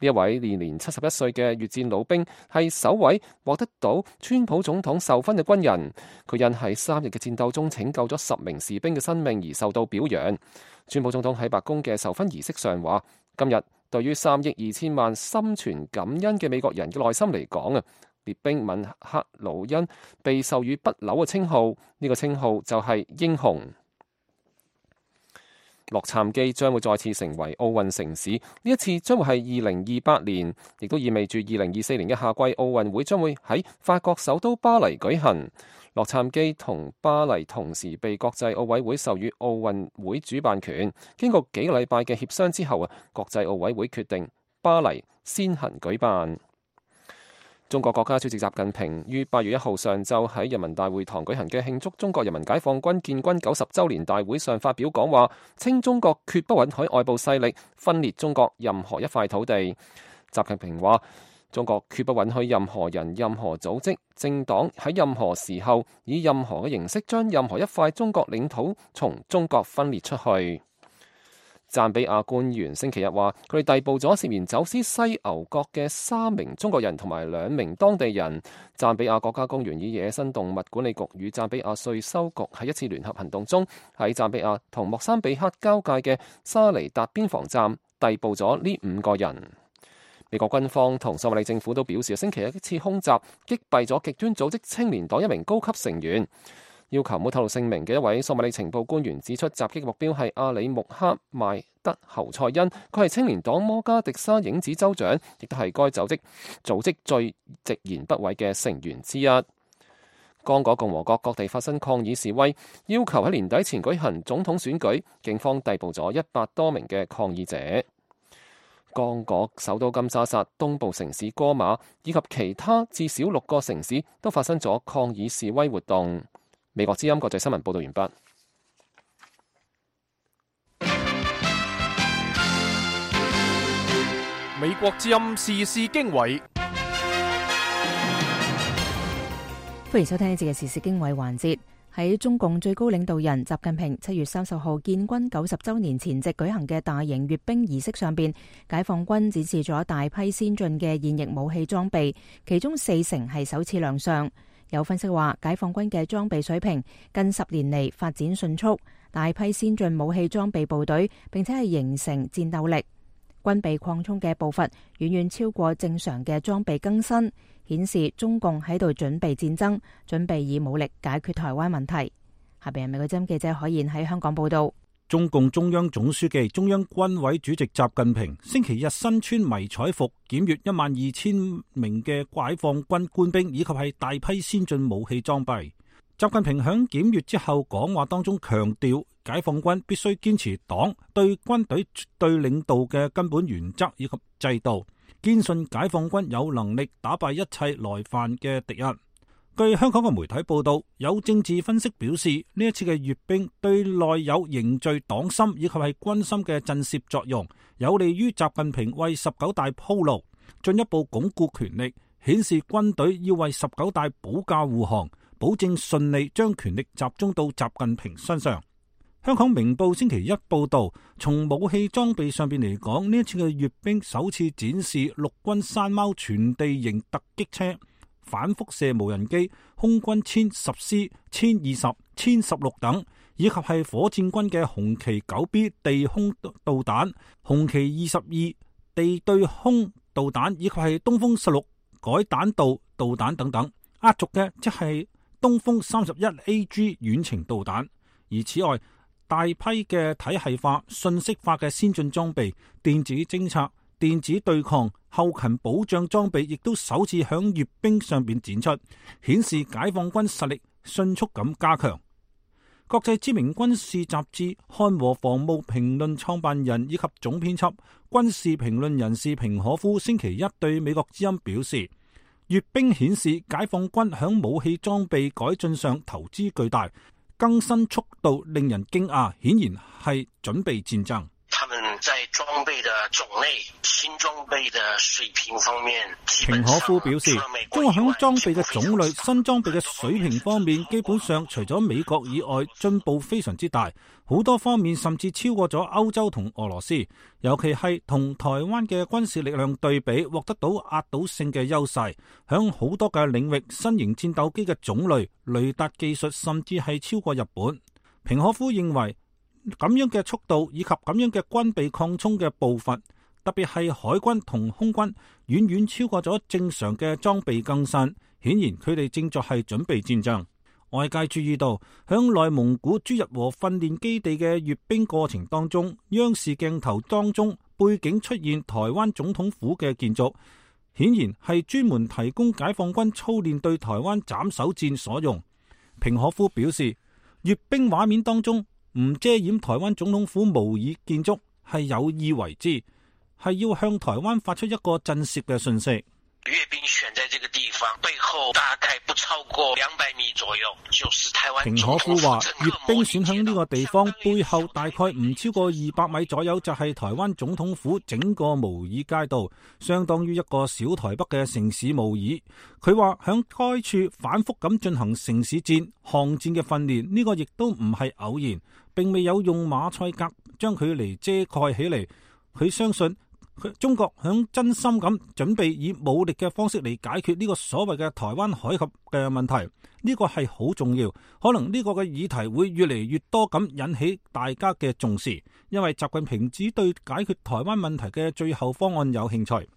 一位年年七十一歲嘅越戰老兵係首位獲得到川普總統授勳嘅軍人。佢因喺三日嘅戰鬥中拯救咗十名士兵嘅生命而受到表揚。川普總統喺白宮嘅授勳儀式上話：今日對於三億二千萬心存感恩嘅美國人嘅內心嚟講啊，列兵麥克勞恩被授予不朽嘅稱號，呢、這個稱號就係英雄。洛杉磯將會再次成為奧運城市，呢一次將會係二零二八年，亦都意味住二零二四年嘅夏季奧運會將會喺法國首都巴黎舉行。洛杉磯同巴黎同時被國際奧委會授予奧運會主辦權，經過幾個禮拜嘅協商之後啊，國際奧委會決定巴黎先行舉辦。中國國家主席習近平於八月一號上晝喺人民大會堂舉行嘅慶祝中國人民解放軍建軍九十週年大會上發表講話，稱中國決不允許外部勢力分裂中國任何一塊土地。習近平話：中國決不允許任何人、任何組織、政黨喺任何時候以任何嘅形式將任何一塊中國領土從中國分裂出去。贊比亞官員星期日話，佢哋逮捕咗涉嫌走私犀牛角嘅三名中國人同埋兩名當地人。贊比亞國家公園與野生動物管理局與贊比亞稅收局喺一次聯合行動中，喺贊比亞同莫桑比克交界嘅沙尼達邊防站逮捕咗呢五個人。美國軍方同索馬里政府都表示，星期一一次空襲擊斃咗極端組織青年黨一名高級成員。要求冇透露姓名嘅一位索馬里情報官員指出，襲擊目標係阿里穆哈邁德侯賽因，佢係青年黨摩加迪沙影子州長，亦都係該組織組織最直言不諱嘅成員之一。剛果共和國各地發生抗議示威，要求喺年底前舉行總統選舉，警方逮捕咗一百多名嘅抗議者。剛果首都金沙薩、東部城市戈馬以及其他至少六個城市都發生咗抗議示威活動。美國之音國際新聞報道完畢。美國之音時事經緯，歡迎收聽呢節嘅時事經緯環節。喺中共最高領導人習近平七月三十號建軍九十週年前夕舉行嘅大型閱兵儀式上邊，解放軍展示咗大批先進嘅現役武器裝備，其中四成係首次亮相。有分析話，解放軍嘅裝備水平近十年嚟發展迅速，大批先進武器裝備部隊，並且係形成戰鬥力。軍備擴充嘅步伐遠遠超過正常嘅裝備更新，顯示中共喺度準備戰爭，準備以武力解決台灣問題。下邊係美國之音記者海燕喺香港報道。中共中央總書記、中央軍委主席習近平星期日身穿迷彩服檢閱一萬二千名嘅解放軍官兵以及係大批先進武器裝備。習近平響檢閱之後講話當中強調，解放軍必須堅持黨對軍隊絕對領導嘅根本原則以及制度，堅信解放軍有能力打敗一切來犯嘅敵人。據香港嘅媒體報道，有政治分析表示，呢一次嘅閱兵對內有凝聚黨心以及係軍心嘅震懾作用，有利於習近平為十九大鋪路，進一步鞏固權力，顯示軍隊要為十九大保駕護航，保證順利將權力集中到習近平身上。香港明報星期一報道，從武器裝備上邊嚟講，呢一次嘅閱兵首次展示陸軍山貓全地形突擊車、反輻射無人機、空軍殲十 C、殲二十、殲十六等，以及係火箭軍嘅紅旗九 B 地空導彈、紅旗二十二地對空導彈，以及係東風十六改彈道導彈等等。壓軸嘅即係東風三十一 A G 遠程導彈。而此外，大批嘅體系化、信息化嘅先進裝備、電子偵察、電子對抗、後勤保障裝備亦都首次響閱兵上邊展出，顯示解放軍實力迅速咁加強。國際知名軍事雜誌《漢和防務評論》創辦人以及總編輯、軍事評論人士平可夫星期一對美國之音表示，閱兵顯示解放軍響武器裝備改進上投資巨大，更新速度令人驚訝，顯然係準備戰爭。他們在裝備的種類、新裝備的水平方面，平可夫表示，中國響裝備嘅種類、新裝備嘅水平方面，基本上除咗美國以外，進步非常之大，好多方面甚至超過咗歐洲同俄羅斯，尤其係同台灣嘅軍事力量對比，獲得到壓倒性嘅優勢。響好多嘅領域，新型戰鬥機嘅種類、雷達技術甚至係超過日本。平可夫認為，咁樣嘅速度以及咁樣嘅軍備擴充嘅步伐，特別係海軍同空軍，遠遠超過咗正常嘅裝備更新。顯然佢哋正在係準備戰爭。外界注意到，響內蒙古朱日和訓練基地嘅閱兵過程當中，央視鏡頭當中背景出現台灣總統府嘅建築，顯然係專門提供解放軍操練對台灣斬首戰所用。平可夫表示，閱兵畫面當中唔遮掩台灣總統府模擬建築係有意為之，係要向台灣發出一個震懾嘅訊息。閱兵選在這個地方，背後大概不超過兩百米左右，就是台灣。平可夫話，閱兵選響呢個地方背後大概唔超過二百米左右，就係台灣總統府整個模擬街道，相當於一個小台北嘅城市模擬。佢話響該處反覆咁進行城市戰、巷戰嘅訓練，呢個亦都唔係偶然，並未有用馬賽格將佢嚟遮蓋起嚟。佢相信中國響真心咁準備以武力嘅方式嚟解決呢個所謂嘅台灣海峽嘅問題，呢個係好重要。可能呢個嘅議題會越嚟越多咁引起大家嘅重視，因為習近平只對解決台灣問題嘅最後方案有興趣。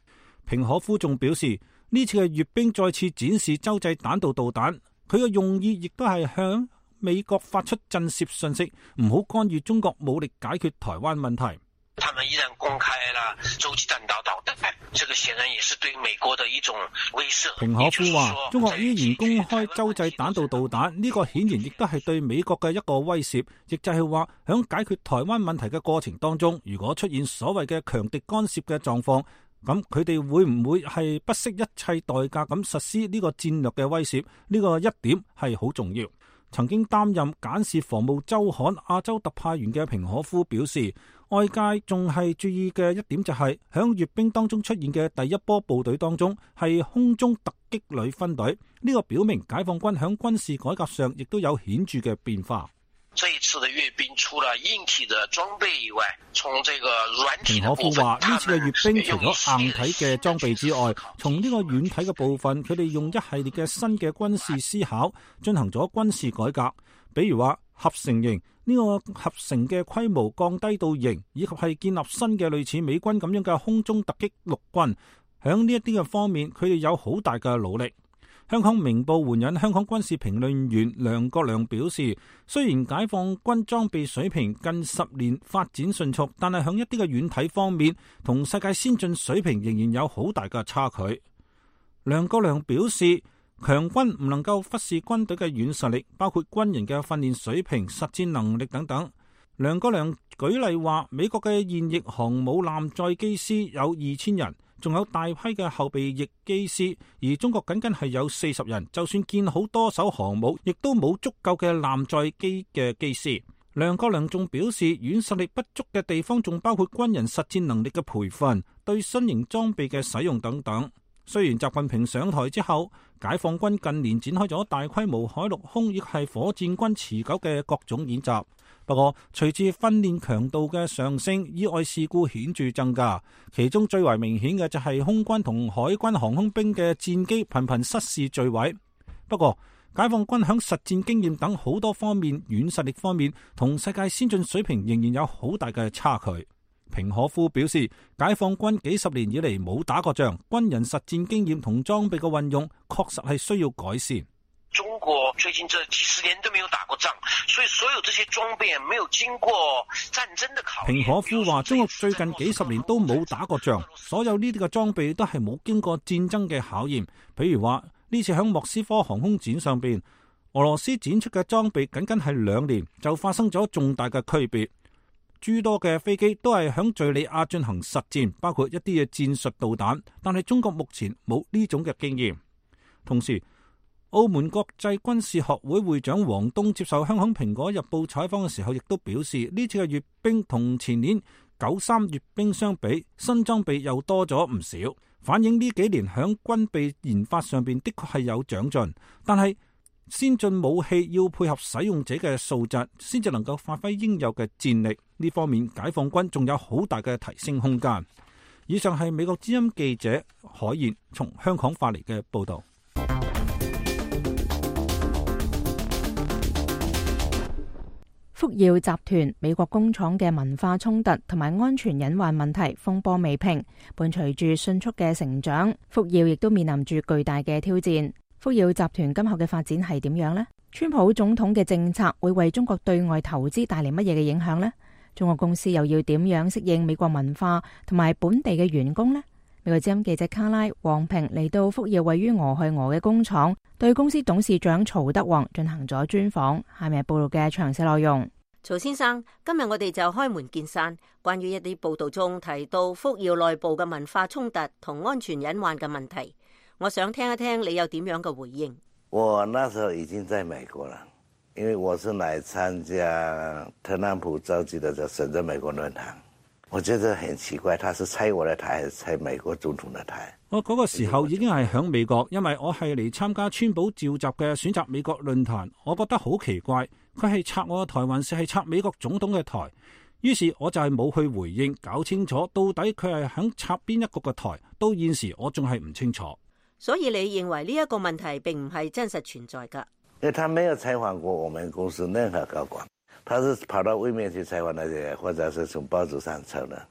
平可夫仲表示，呢次嘅閱兵再次展示洲際彈道導彈，佢嘅用意亦都係向美國發出震懾訊息，唔好干預中國武力解決台灣問題。他們依然公開了洲際彈道導彈，這個顯然也是對美國的一種威懾。平可夫話，中國依然公開洲際彈道導彈，呢個顯然亦都係對美國嘅一個威脅，亦就係話響解決台灣問題嘅過程當中，如果出現所謂嘅強敵干涉嘅狀況，咁佢哋會唔會係不惜一切代價咁實施呢個戰略嘅威脅？呢個一點係好重要。曾經擔任簡氏防務週刊亞洲特派員嘅平可夫表示，外界仲係注意嘅一點就係響閱兵當中出現嘅第一波部隊當中係空中突擊旅分隊，呢個表明解放軍響軍事改革上亦都有顯著嘅變化。這一次的閱兵除了硬體的裝備以外，從這個軟體的部分，平可夫話呢次嘅閱兵除咗硬體嘅裝備之外，從呢個軟體嘅部分，佢哋用一系列嘅新嘅軍事思考進行咗軍事改革，比如話合成型，呢個合成嘅規模降低到型，以及係建立新嘅類似美軍咁樣嘅空中突擊陸軍，響呢一啲嘅方面，佢哋有好大嘅努力。香港明報援引香港軍事評論員梁國良表示，雖然解放軍裝備水平近十年發展迅速，但係響一啲嘅軟體方面，同世界先進水平仍然有好大嘅差距。梁國良表示，強軍唔能夠忽視軍隊嘅軟實力，包括軍人嘅訓練水平、實戰能力等等。梁國良舉例話，美國嘅現役航母艦載機師有二千人，仲有大批嘅後備役機師，而中國僅僅係有四十人，就算建好多艘航母，亦都冇足夠嘅艦載機嘅機師。梁國良仲表示，軟實力不足嘅地方仲包括軍人實戰能力嘅培訓、對新型裝備嘅使用等等。雖然習近平上台之後，解放軍近年展開咗大規模海陸空亦係火箭軍持久嘅各種演習，不過隨住訓練強度嘅上升，意外事故顯著增加，其中最為明顯嘅就係空軍同海軍航空兵嘅戰機頻頻失事墜毀。不過解放軍響實戰經驗等好多方面，軟實力方面同世界先進水平仍然有好大嘅差距。平可夫表示，解放軍幾十年以嚟冇打過仗，軍人實戰經驗同裝備嘅運用確實係需要改善。中國最近這幾十年都沒有打過仗，所以所有這些裝備沒有經過戰爭的考驗。平可夫話，中國最近幾十年都冇打過仗，所有呢啲嘅裝備都係冇經過戰爭嘅考驗。譬如話呢次響莫斯科航空展上邊，俄羅斯展出嘅裝備僅僅係兩年就發生咗重大嘅區別。諸多嘅飛機都係響敘利亞進行實戰，包括一啲嘅戰術導彈，但係中國目前冇呢種嘅經驗。同時，澳門國際軍事學會會長王東接受香港蘋果日報採訪嘅時候，亦都表示，呢次嘅閱兵同前年九三閱兵相比，新裝備又多咗唔少，反映呢幾年響軍備研發上邊的確係有長進，但係先進武器要配合使用者嘅素質，先至能夠發揮應有嘅戰力。呢方面，解放軍仲有好大嘅提升空間。以上係美國之音記者海燕從香港發嚟嘅報道。福耀集團美國工廠嘅文化衝突同埋安全隱患問題風波未平，伴隨住迅速嘅成長，福耀亦都面臨住巨大嘅挑戰。福耀集團今後嘅發展係點樣呢？川普總統嘅政策會為中國對外投資帶嚟乜嘢嘅影響呢？中國公司又要點樣適應美國文化同埋本地嘅員工呢？美國之音記者卡拉黃平嚟到福耀位於俄亥俄嘅工廠，對公司董事長曹德旺進行咗專訪。下面係報道嘅詳細內容。曹先生，今日我哋就開門見山，關於一啲報道中提到福耀內部嘅文化衝突同安全隱患嘅問題，我想聽一聽你有點樣嘅回應。我那時候已經在美國了，因為我是來參加特朗普召集的這深圳美國論壇，我覺得很奇怪，他是拆我的台還是拆美國總統的台？我嗰個時候已經係響美國，因為我係嚟參加川普召集嘅選擇美國論壇，我覺得好奇怪，佢係拆我嘅台還是係拆美國總統嘅台？於是我就係冇去回應，搞清楚到底佢係響拆邊一個嘅台，到現時我仲係唔清楚。所以你認為呢一個問題並唔係真實存在㗎？因為他沒有採訪過我們公司任何高管，他是跑到外面去採訪那些，或者是從報紙上抄的。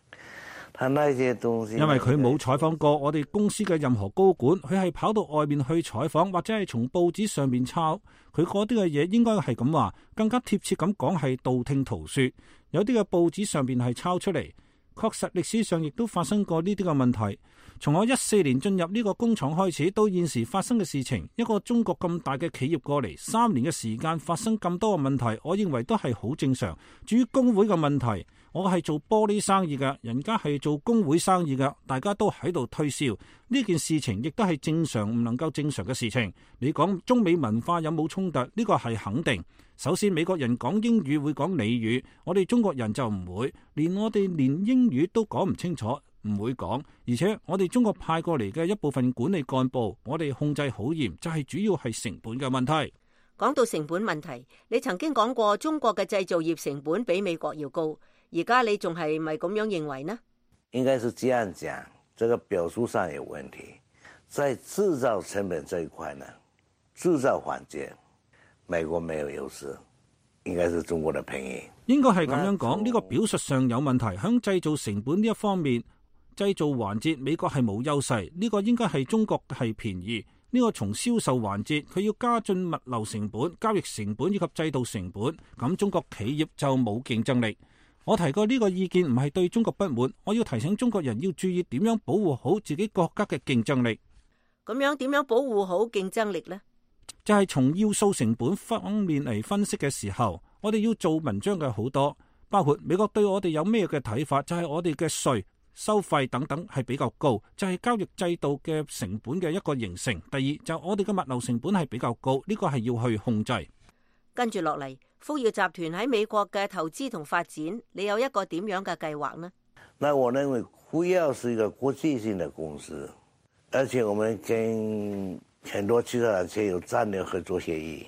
他那些東西，因為佢冇採訪過我哋公司嘅任何高管，佢係跑到外面去採訪，或者係從報紙上面抄。佢嗰啲嘅嘢應該係咁話，更加貼切咁講係道聽途說。有啲嘅報紙上面係抄出嚟，確實歷史上亦都發生過呢啲嘅問題。從我一四年進入呢個工廠開始，到現時發生嘅事情，一個中國咁大嘅企業過嚟三年嘅時間發生咁多嘅問題，我認為都係好正常。至於工會嘅問題，我係做玻璃生意嘅，人家係做工會生意嘅，大家都喺度推銷呢件事情，亦都係正常唔能夠正常嘅事情。你講中美文化有冇衝突？呢個係肯定。首先，美國人講英語會講俚語，我哋中國人就唔會，連我哋連英語都講唔清楚，唔會講。而且我哋中國派過嚟嘅一部分管理幹部，我哋控制好嚴，就係主要係成本嘅問題。講到成本問題，你曾經講過中國嘅製造業成本比美國要高，而家你仲係咪咁樣認為呢？應該是這樣講，這個表述上有問題。在製造成本這一塊呢，製造環節美國沒有優勢，應該是中國的便宜。應該係咁樣講，呢個表述上有問題。響製造成本呢一方面，製造環節美國係冇優勢，呢個應該係中國係便宜。呢個從銷售環節，佢要加進物流成本、交易成本以及制度成本，咁中國企業就冇競爭力。我提過呢個意見唔係對中國不滿，我要提醒中國人要注意點樣保護好自己國家嘅競爭力。咁樣點樣保護好競爭力呢？就係從要素成本方面嚟分析嘅時候，我哋要做文章嘅好多，包括美國對我哋有咩嘅睇法，就係我哋嘅稅、收費等等係比較高，就係交易制度嘅成本嘅一個形成。第二就我哋嘅物流成本係比較高，呢個係要去控制。跟住落嚟，福耀集團喺美國嘅投資同發展，你有一個點樣嘅計劃呢？那我認為福耀是一個國際性的公司，而且我們跟很多其他企業有戰略合作協議，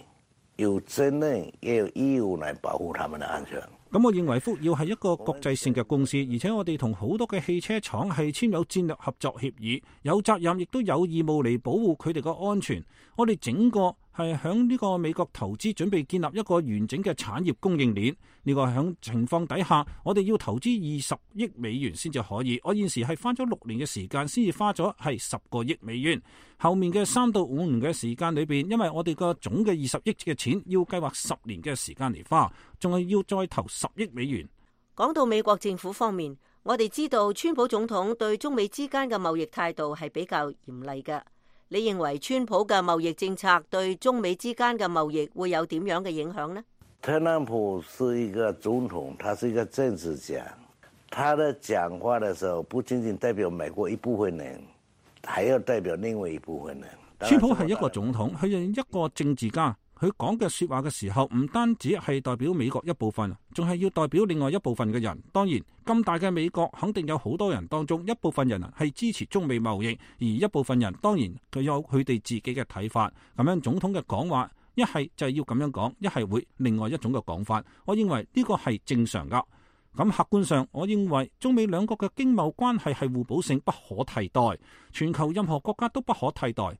有責任也有義務來保護他們的安全。咁我認為福耀係一個國際性嘅公司，而且我哋同好多嘅汽車廠係簽有戰略合作協議，有責任亦都有義務嚟保護佢哋嘅安全。我哋整個係響呢個美國投資，準備建立一個完整嘅產業供應鏈。呢個響情況底下，我哋要投資二十億美元先至可以。我現時係花咗六年嘅時間，先至花咗係十個億美元。後面嘅三到五年嘅時間裏邊，因為我哋個總嘅二十億嘅錢要計劃十年嘅時間嚟花，仲係要再投十億美元。講到美國政府方面，我哋知道川普總統對中美之間嘅貿易態度係比較嚴厲嘅。你認為川普嘅貿易政策對中美之間嘅貿易會有點樣嘅影響呢？特朗普是一個總統，他是一個政治家，他的講話的時候不僅僅代表美國一部分人，還要代表另外一部分人。川普係一個總統，佢係一個政治家，佢講嘅說話嘅時候，唔單止係代表美國一部分，仲係要代表另外一部分嘅人。當然，咁大嘅美國肯定有好多人當中，一部分人係支持中美貿易，而一部分人當然佢有佢哋自己嘅睇法。咁樣總統嘅講話，一係就係要咁樣講，一係會另外一種嘅講法。我認為呢個係正常噶。咁客觀上，我認為中美兩國嘅經貿關係係互補性不可替代，全球任何國家都不可替代。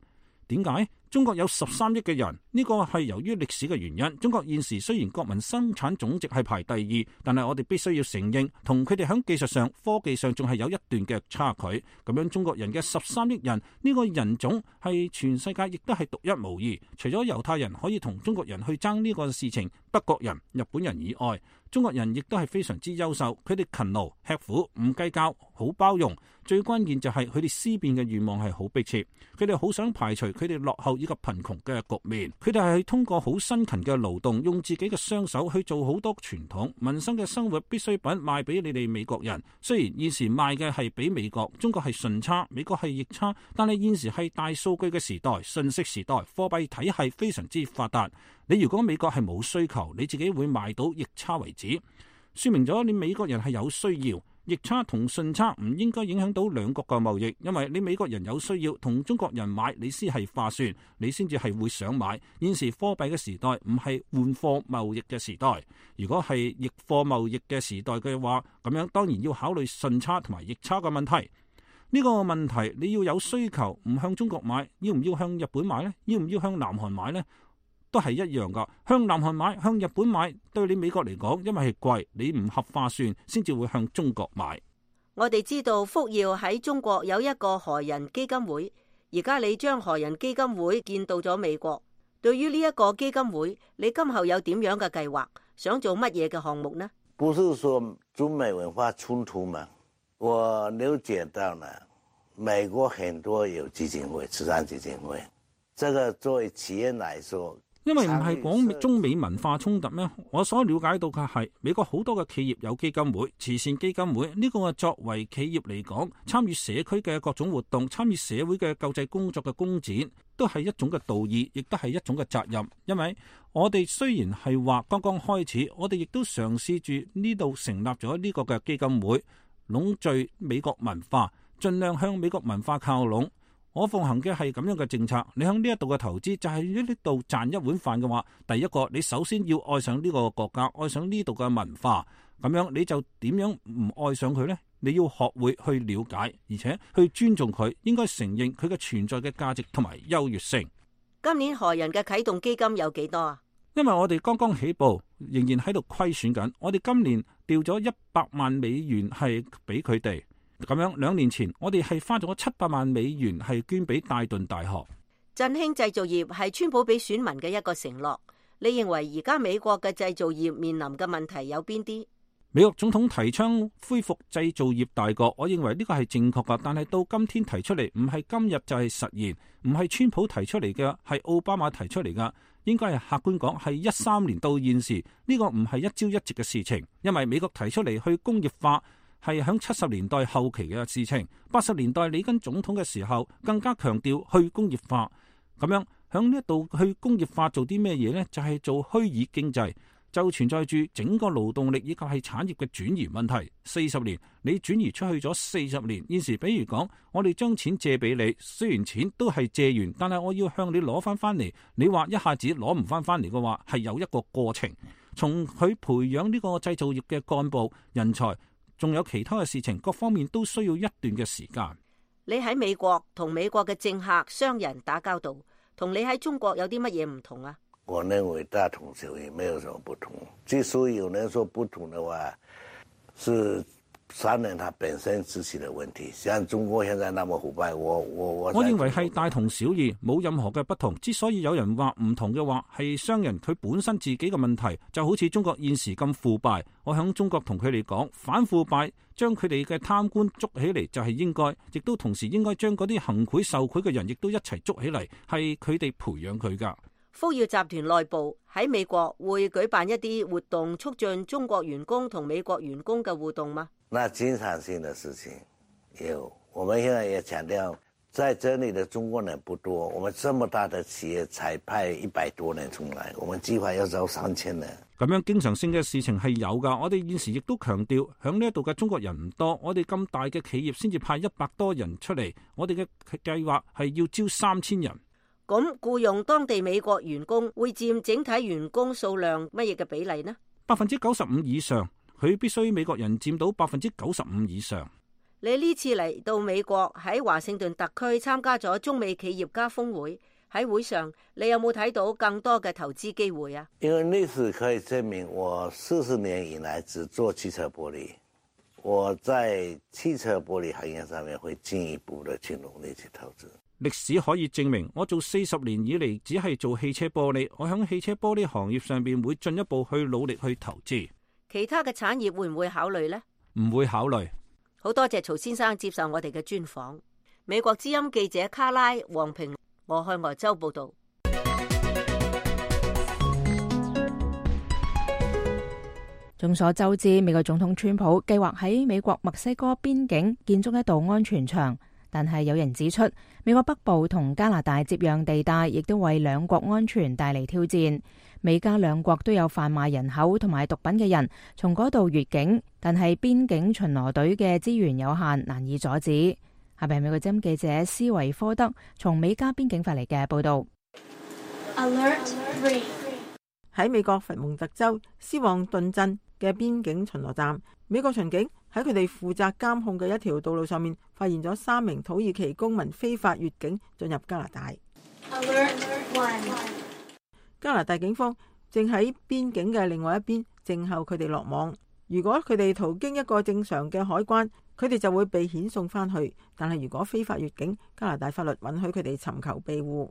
點解？中國有十三億嘅人，呢個係由於歷史嘅原因。中國現時雖然國民生產總值係排第二，但係我哋必須要承認，同佢哋喺技術上、科技上仲係有一段嘅差距。咁樣中國人嘅十三億人，呢個人種係全世界亦都係獨一無二。除咗猶太人可以同中國人去爭呢個事情，德國人、日本人以外，中國人亦都係非常之優秀。佢哋勤勞、吃苦、唔計較、好包容。最關鍵就係佢哋思辨嘅願望係好迫切，佢哋好想排除佢哋落後以及貧窮嘅局面。佢哋係通過好辛勤嘅勞動，用自己嘅雙手去做好多傳統民生嘅生活必需品賣俾你哋美國人。雖然現時賣嘅係俾美國，中國係順差，美國係逆差，但係現時係大數據嘅時代、信息時代，貨幣體系非常之發達。你如果美國係冇需求，你自己會賣到逆差為止，說明咗你美國人係有需要。逆差同順差唔應該影響到兩國嘅貿易，因為你美國人有需要同中國人買，你先係划算，你先至係會想買。現時貨幣嘅時代唔係換貨貿易嘅時代，如果係逆貨貿易嘅時代嘅話，咁樣當然要考慮順差同埋逆差嘅問題。呢個問題你要有需求，唔向中國買，要唔要向日本買呢？要唔要向南韓買呢？都係一樣噶，向南韓買、向日本買，對你美國嚟講，因為係貴，你唔合划算，先至會向中國買。我哋知道福耀喺中國有一個何人基金會，而家你將何人基金會建到咗美國。對於呢一個基金會，你今後有點樣嘅計劃？想做乜嘢嘅項目呢？不是說中美文化衝突嗎？我了解到呢，美國很多有基金會、慈善基金會，這個作為企業來說。因為唔係講中美文化衝突咩？我所了解到嘅係美國好多嘅企業有基金會、慈善基金會，呢個係作為企業嚟講，參與社區嘅各種活動、參與社會嘅救濟工作嘅工展，都係一種嘅道義，亦都係一種嘅責任。因為我哋雖然係話剛剛開始，我哋亦都嘗試住呢度成立咗呢個嘅基金會，籠聚美國文化，盡量向美國文化靠攏。我奉行嘅係咁樣嘅政策，你向呢一度嘅投資就係呢度賺一碗飯嘅話，第一個你首先要愛上呢個國家，愛上呢度嘅文化，咁樣你就點樣唔愛上佢呢？你要學會去了解，而且去尊重佢，應該承認佢嘅存在嘅價值同埋優越性。今年何人嘅啟動基金有幾多啊？因為我哋剛剛起步，仍然喺度虧損緊，我哋今年調咗一百萬美元係俾佢哋。咁樣兩年前我哋係花咗七百萬美元係捐俾戴頓大學。振興製造業係川普俾選民嘅一個承諾。你認為而家美國嘅製造業面臨嘅問題有邊啲？美國總統提倡恢復製造業大國，我認為呢個係正確噶，但係到今天提出嚟唔係今日就係實現，唔係川普提出嚟嘅，係奧巴馬提出嚟噶，應該係客觀講係一三年到現時呢個唔係一朝一夕嘅事情，因為美國提出嚟去工業化係響七十年代後期嘅事情，八十年代里根總統嘅時候更加強調去工業化，咁樣響呢一度去工業化做啲咩嘢呢？就係、是、做虛擬經濟，就存在住整個勞動力以及係產業嘅轉移問題。四十年你轉移出去咗四十年，現時比如講我哋將錢借俾你，雖然錢都係借完，但係我要向你攞翻翻嚟，你話一下子攞唔翻翻嚟嘅話，係有一個過程，從佢培養呢個製造業嘅幹部人才。仲有其他嘅事情，各方面都需要一段嘅時間。你喺美國同美國嘅政客、商人打交道，同你喺中國有啲乜嘢唔同啊？我認為大同小異，沒有什麼不同。之所以有人說不同的話，是商人他本身自己的問題。像中國現在那麼腐敗，我我我我認為係大同小異，冇任何嘅不同。之所以有人話唔同嘅話，係商人佢本身自己嘅問題，就好似中國現時咁腐敗。我響中國同佢哋講，反腐敗，將佢哋嘅貪官捉起嚟就係應該，亦都同時應該將嗰啲行賄受賄嘅人亦都一齊捉起嚟，係佢哋培養佢噶。福耀集團內部喺美國會舉辦一啲活動，促進中國員工同美國員工嘅互動嗎？那經常性的事情有，我們現在也強調，在這裏的中國人不多，我們這麼大的企業才派一百多人出來，我們計劃要招三千人。咁樣經常性嘅事情係有噶，我哋現時亦都強調，響呢一度嘅中國人唔多，我哋咁大嘅企業先至派一百多人出嚟，我哋嘅計劃係要招三千人。咁僱用當地美國員工會佔整體員工數量乜嘢嘅比例呢？百分之九十五以上。佢必須美國人佔到百分之九十五以上。你呢次嚟到美國喺華盛頓特區參加咗中美企業家峰會，喺會上你有冇睇到更多嘅投資機會啊？因為歷史可以證明，我四十年以來只做汽車玻璃，我在汽車玻璃行業上面會進一步的去努力去投資。歷史可以證明，我做四十年以嚟只係做汽車玻璃，我響汽車玻璃行業上邊會進一步去努力去投資。其他嘅產業會唔會考慮呢？唔會考慮。好多謝曹先生接受我哋嘅專訪。美國之音記者卡拉黃平，俄亥俄州報道。眾所周知，美國總統川普計劃喺美國墨西哥邊境建築一道安全牆，但係有人指出，美國北部同加拿大接壤地帶亦都為兩國安全帶嚟挑戰。美加兩國都有販賣人口同埋毒品嘅人從嗰度越境，但係邊境巡邏隊嘅資源有限，難以阻止。下邊係美國之音記者斯維科德從美加邊境發嚟嘅報道。Alert three 喺美國佛蒙特州斯旺頓鎮嘅邊境巡邏站，美國巡警喺佢哋負責監控嘅一條道路上面，發現咗三名土耳其公民非法越境進入加拿大。Alert one 加拿大警方正喺邊境嘅另外一邊靜候佢哋落網。如果佢哋途經一個正常嘅海關，佢哋就會被遣送翻去。但係如果非法越境，加拿大法律允許佢哋尋求庇護。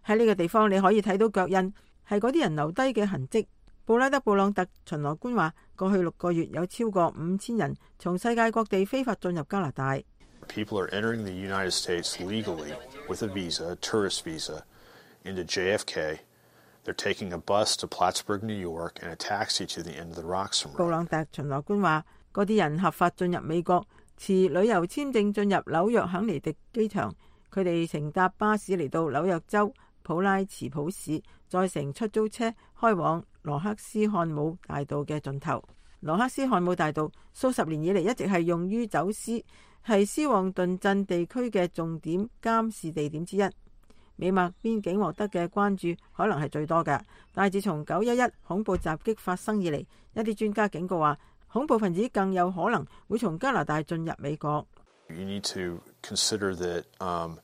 喺呢個地方你可以睇到腳印，係嗰啲人留低嘅痕跡。布拉德布朗特巡邏官話，過去六個月有超過五千人從世界各地非法進入加拿大。People are entering the United States legally with a visa, a tourist visa, into J F K. They're taking a bus to Plattsburgh, New York, and a taxi to the end of the Roxham Road. 布朗特巡邏官話，嗰啲人合法進入美國，持旅遊簽證進入紐約肯尼迪機場。佢哋乘搭巴士嚟到紐約州普拉茨普市，再乘出租車開往羅克斯漢姆大道嘅盡頭。羅克斯漢姆大道數十年以嚟一直係用於走私，係斯旺頓鎮地區嘅重點監視地點之一。美墨邊境獲得嘅關注可能係最多嘅，但係自從九一一恐怖襲擊發生以嚟，一啲專家警告話，恐怖分子更有可能會從加拿大進入美國。You need to consider that, um,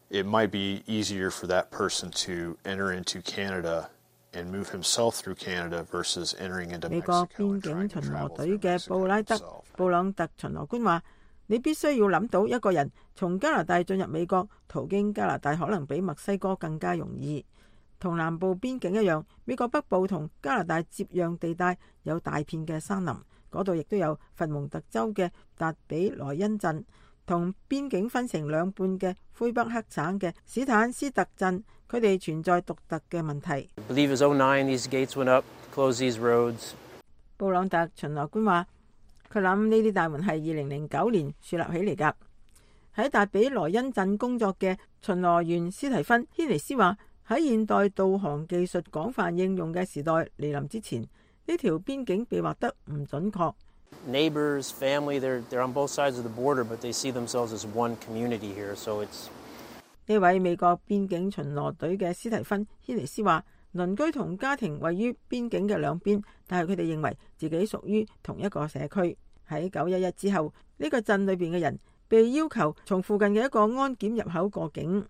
it might be easier for that person to enter into Canada and move himself through Canada versus entering into Mexico. 美國邊境巡邏隊嘅布拉德布朗特巡邏官話，你必須要諗到一個人從加拿大進入美國，途經加拿大可能比墨西哥更加容易。同南部邊境一樣，美國北部同加拿大接壤地帶有大片嘅山林，嗰度亦都有佛蒙特州嘅達比萊恩鎮，同邊境分成兩半嘅魁北克省嘅史坦斯特鎮，佢哋存在獨特嘅問題。布朗特巡邏官話，佢諗呢啲大門係二零零九年樹立起嚟㗎。喺達比萊恩鎮工作嘅巡邏員斯提芬軒尼斯話，喺現代導航技術廣泛應用嘅時代嚟臨之前，呢條邊境被劃得唔準確。Neighbors, family, they're they're on both sides of the border, but they see themselves as one community here. So it's 呢位美國邊境巡邏隊嘅斯提芬軒尼斯話，鄰居同家庭位於邊境嘅兩邊，但係佢哋認為自己屬於同一個社區。喺九一一之後，呢個鎮裏邊嘅人被要求從附近嘅一個安檢入口過境。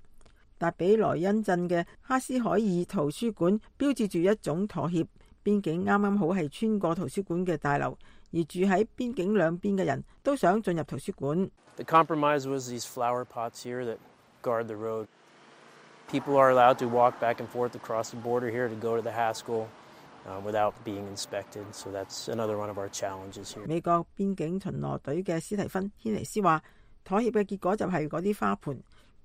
達比萊恩鎮嘅哈斯海爾圖書館標誌住一種妥協，邊境啱啱好係穿過圖書館嘅大樓，而住喺邊境兩邊嘅人都想進入圖書館。The compromise was these flower pots here that guard the road. People are allowed to walk back and forth across the border here to go to the Haskell uh, without being inspected. So that's another one of our challenges here. 美國邊境巡邏隊嘅斯提芬軒尼斯話，妥協嘅結果就係嗰啲花盆，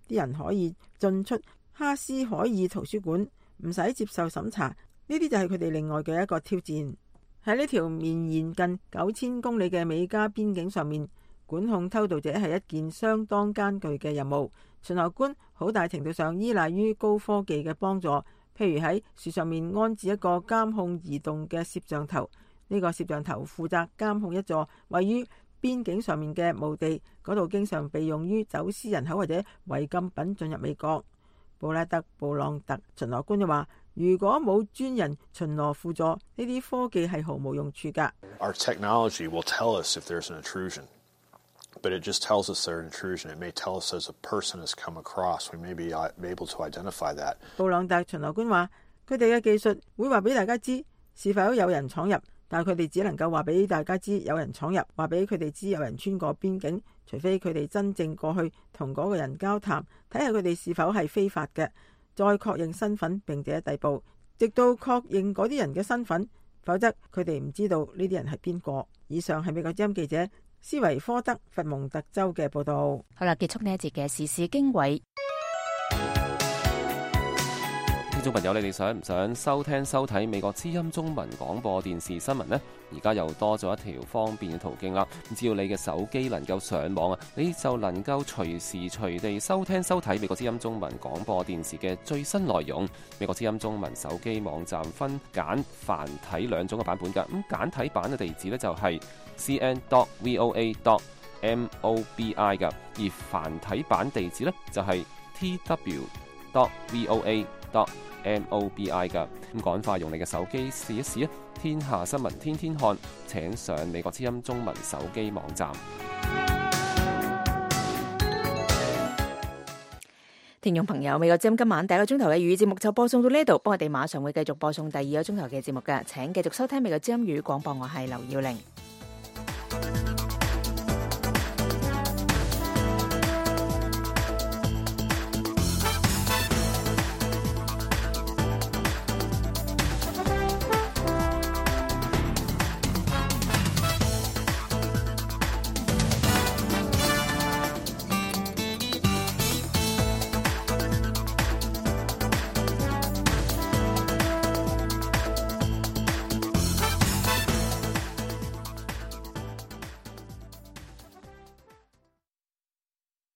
啲人可以進出哈斯海爾圖書館，唔使接受審查。呢啲就係佢哋另外嘅一個挑戰。喺呢條綿延近九千公里嘅美加邊境上面，管控偷渡者係一件相當艱巨嘅任務。巡邏官好大程度上依賴於高科技嘅幫助，譬如喺樹上面安置一個監控移動嘅攝像頭。呢個攝像頭負責監控一座位於邊境上面嘅墓地，嗰度經常被用於走私人口或者違禁品進入美國。布拉德布朗特巡邏官就話，如果冇專人巡邏輔助，呢啲科技係毫無用處㗎。Our technology will tell us if there's an intrusion, but it just tells us there's an intrusion. It may tell us as a person has come across. We may be able to identify that. 布朗特巡邏官話，佢哋嘅技術會話俾大家知是否有人闖入，但係佢哋只能夠話俾大家知有人闖入，話俾佢哋知有人穿過邊境，除非佢哋真正過去同嗰個人交談，睇下佢哋是否係非法嘅，再確認身份並且逮捕，直到確認嗰啲人嘅身份，否則佢哋唔知道呢啲人係邊個。以上係美國之音記者斯維科德佛蒙特州嘅報道。好啦，結束呢一節嘅時事經緯。聽眾朋友，你哋想唔想收聽收睇美國之音中文廣播電視新聞呢？而家又多咗一條方便嘅途徑啦！只要你嘅手機能夠上網啊，你就能夠隨時隨地收聽收睇美國之音中文廣播電視嘅最新內容。美國之音中文手機網站分簡繁體兩種嘅版本㗎。咁簡體版嘅地址呢，就係 c n dot voa dot mobi 㗎，而繁體版地址呢，就係 t w dot voa dot mobi 噶。咁趕快用你嘅手機試一試啊！天下新聞天天看，請上美國之音中文手機網站。聽眾朋友，美國之音今晚第一個鐘頭嘅粵語節目就播送到呢度，不過我哋馬上會繼續播送第二個鐘頭嘅節目嘅，請繼續收聽美國之音粵語廣播，我係劉耀玲。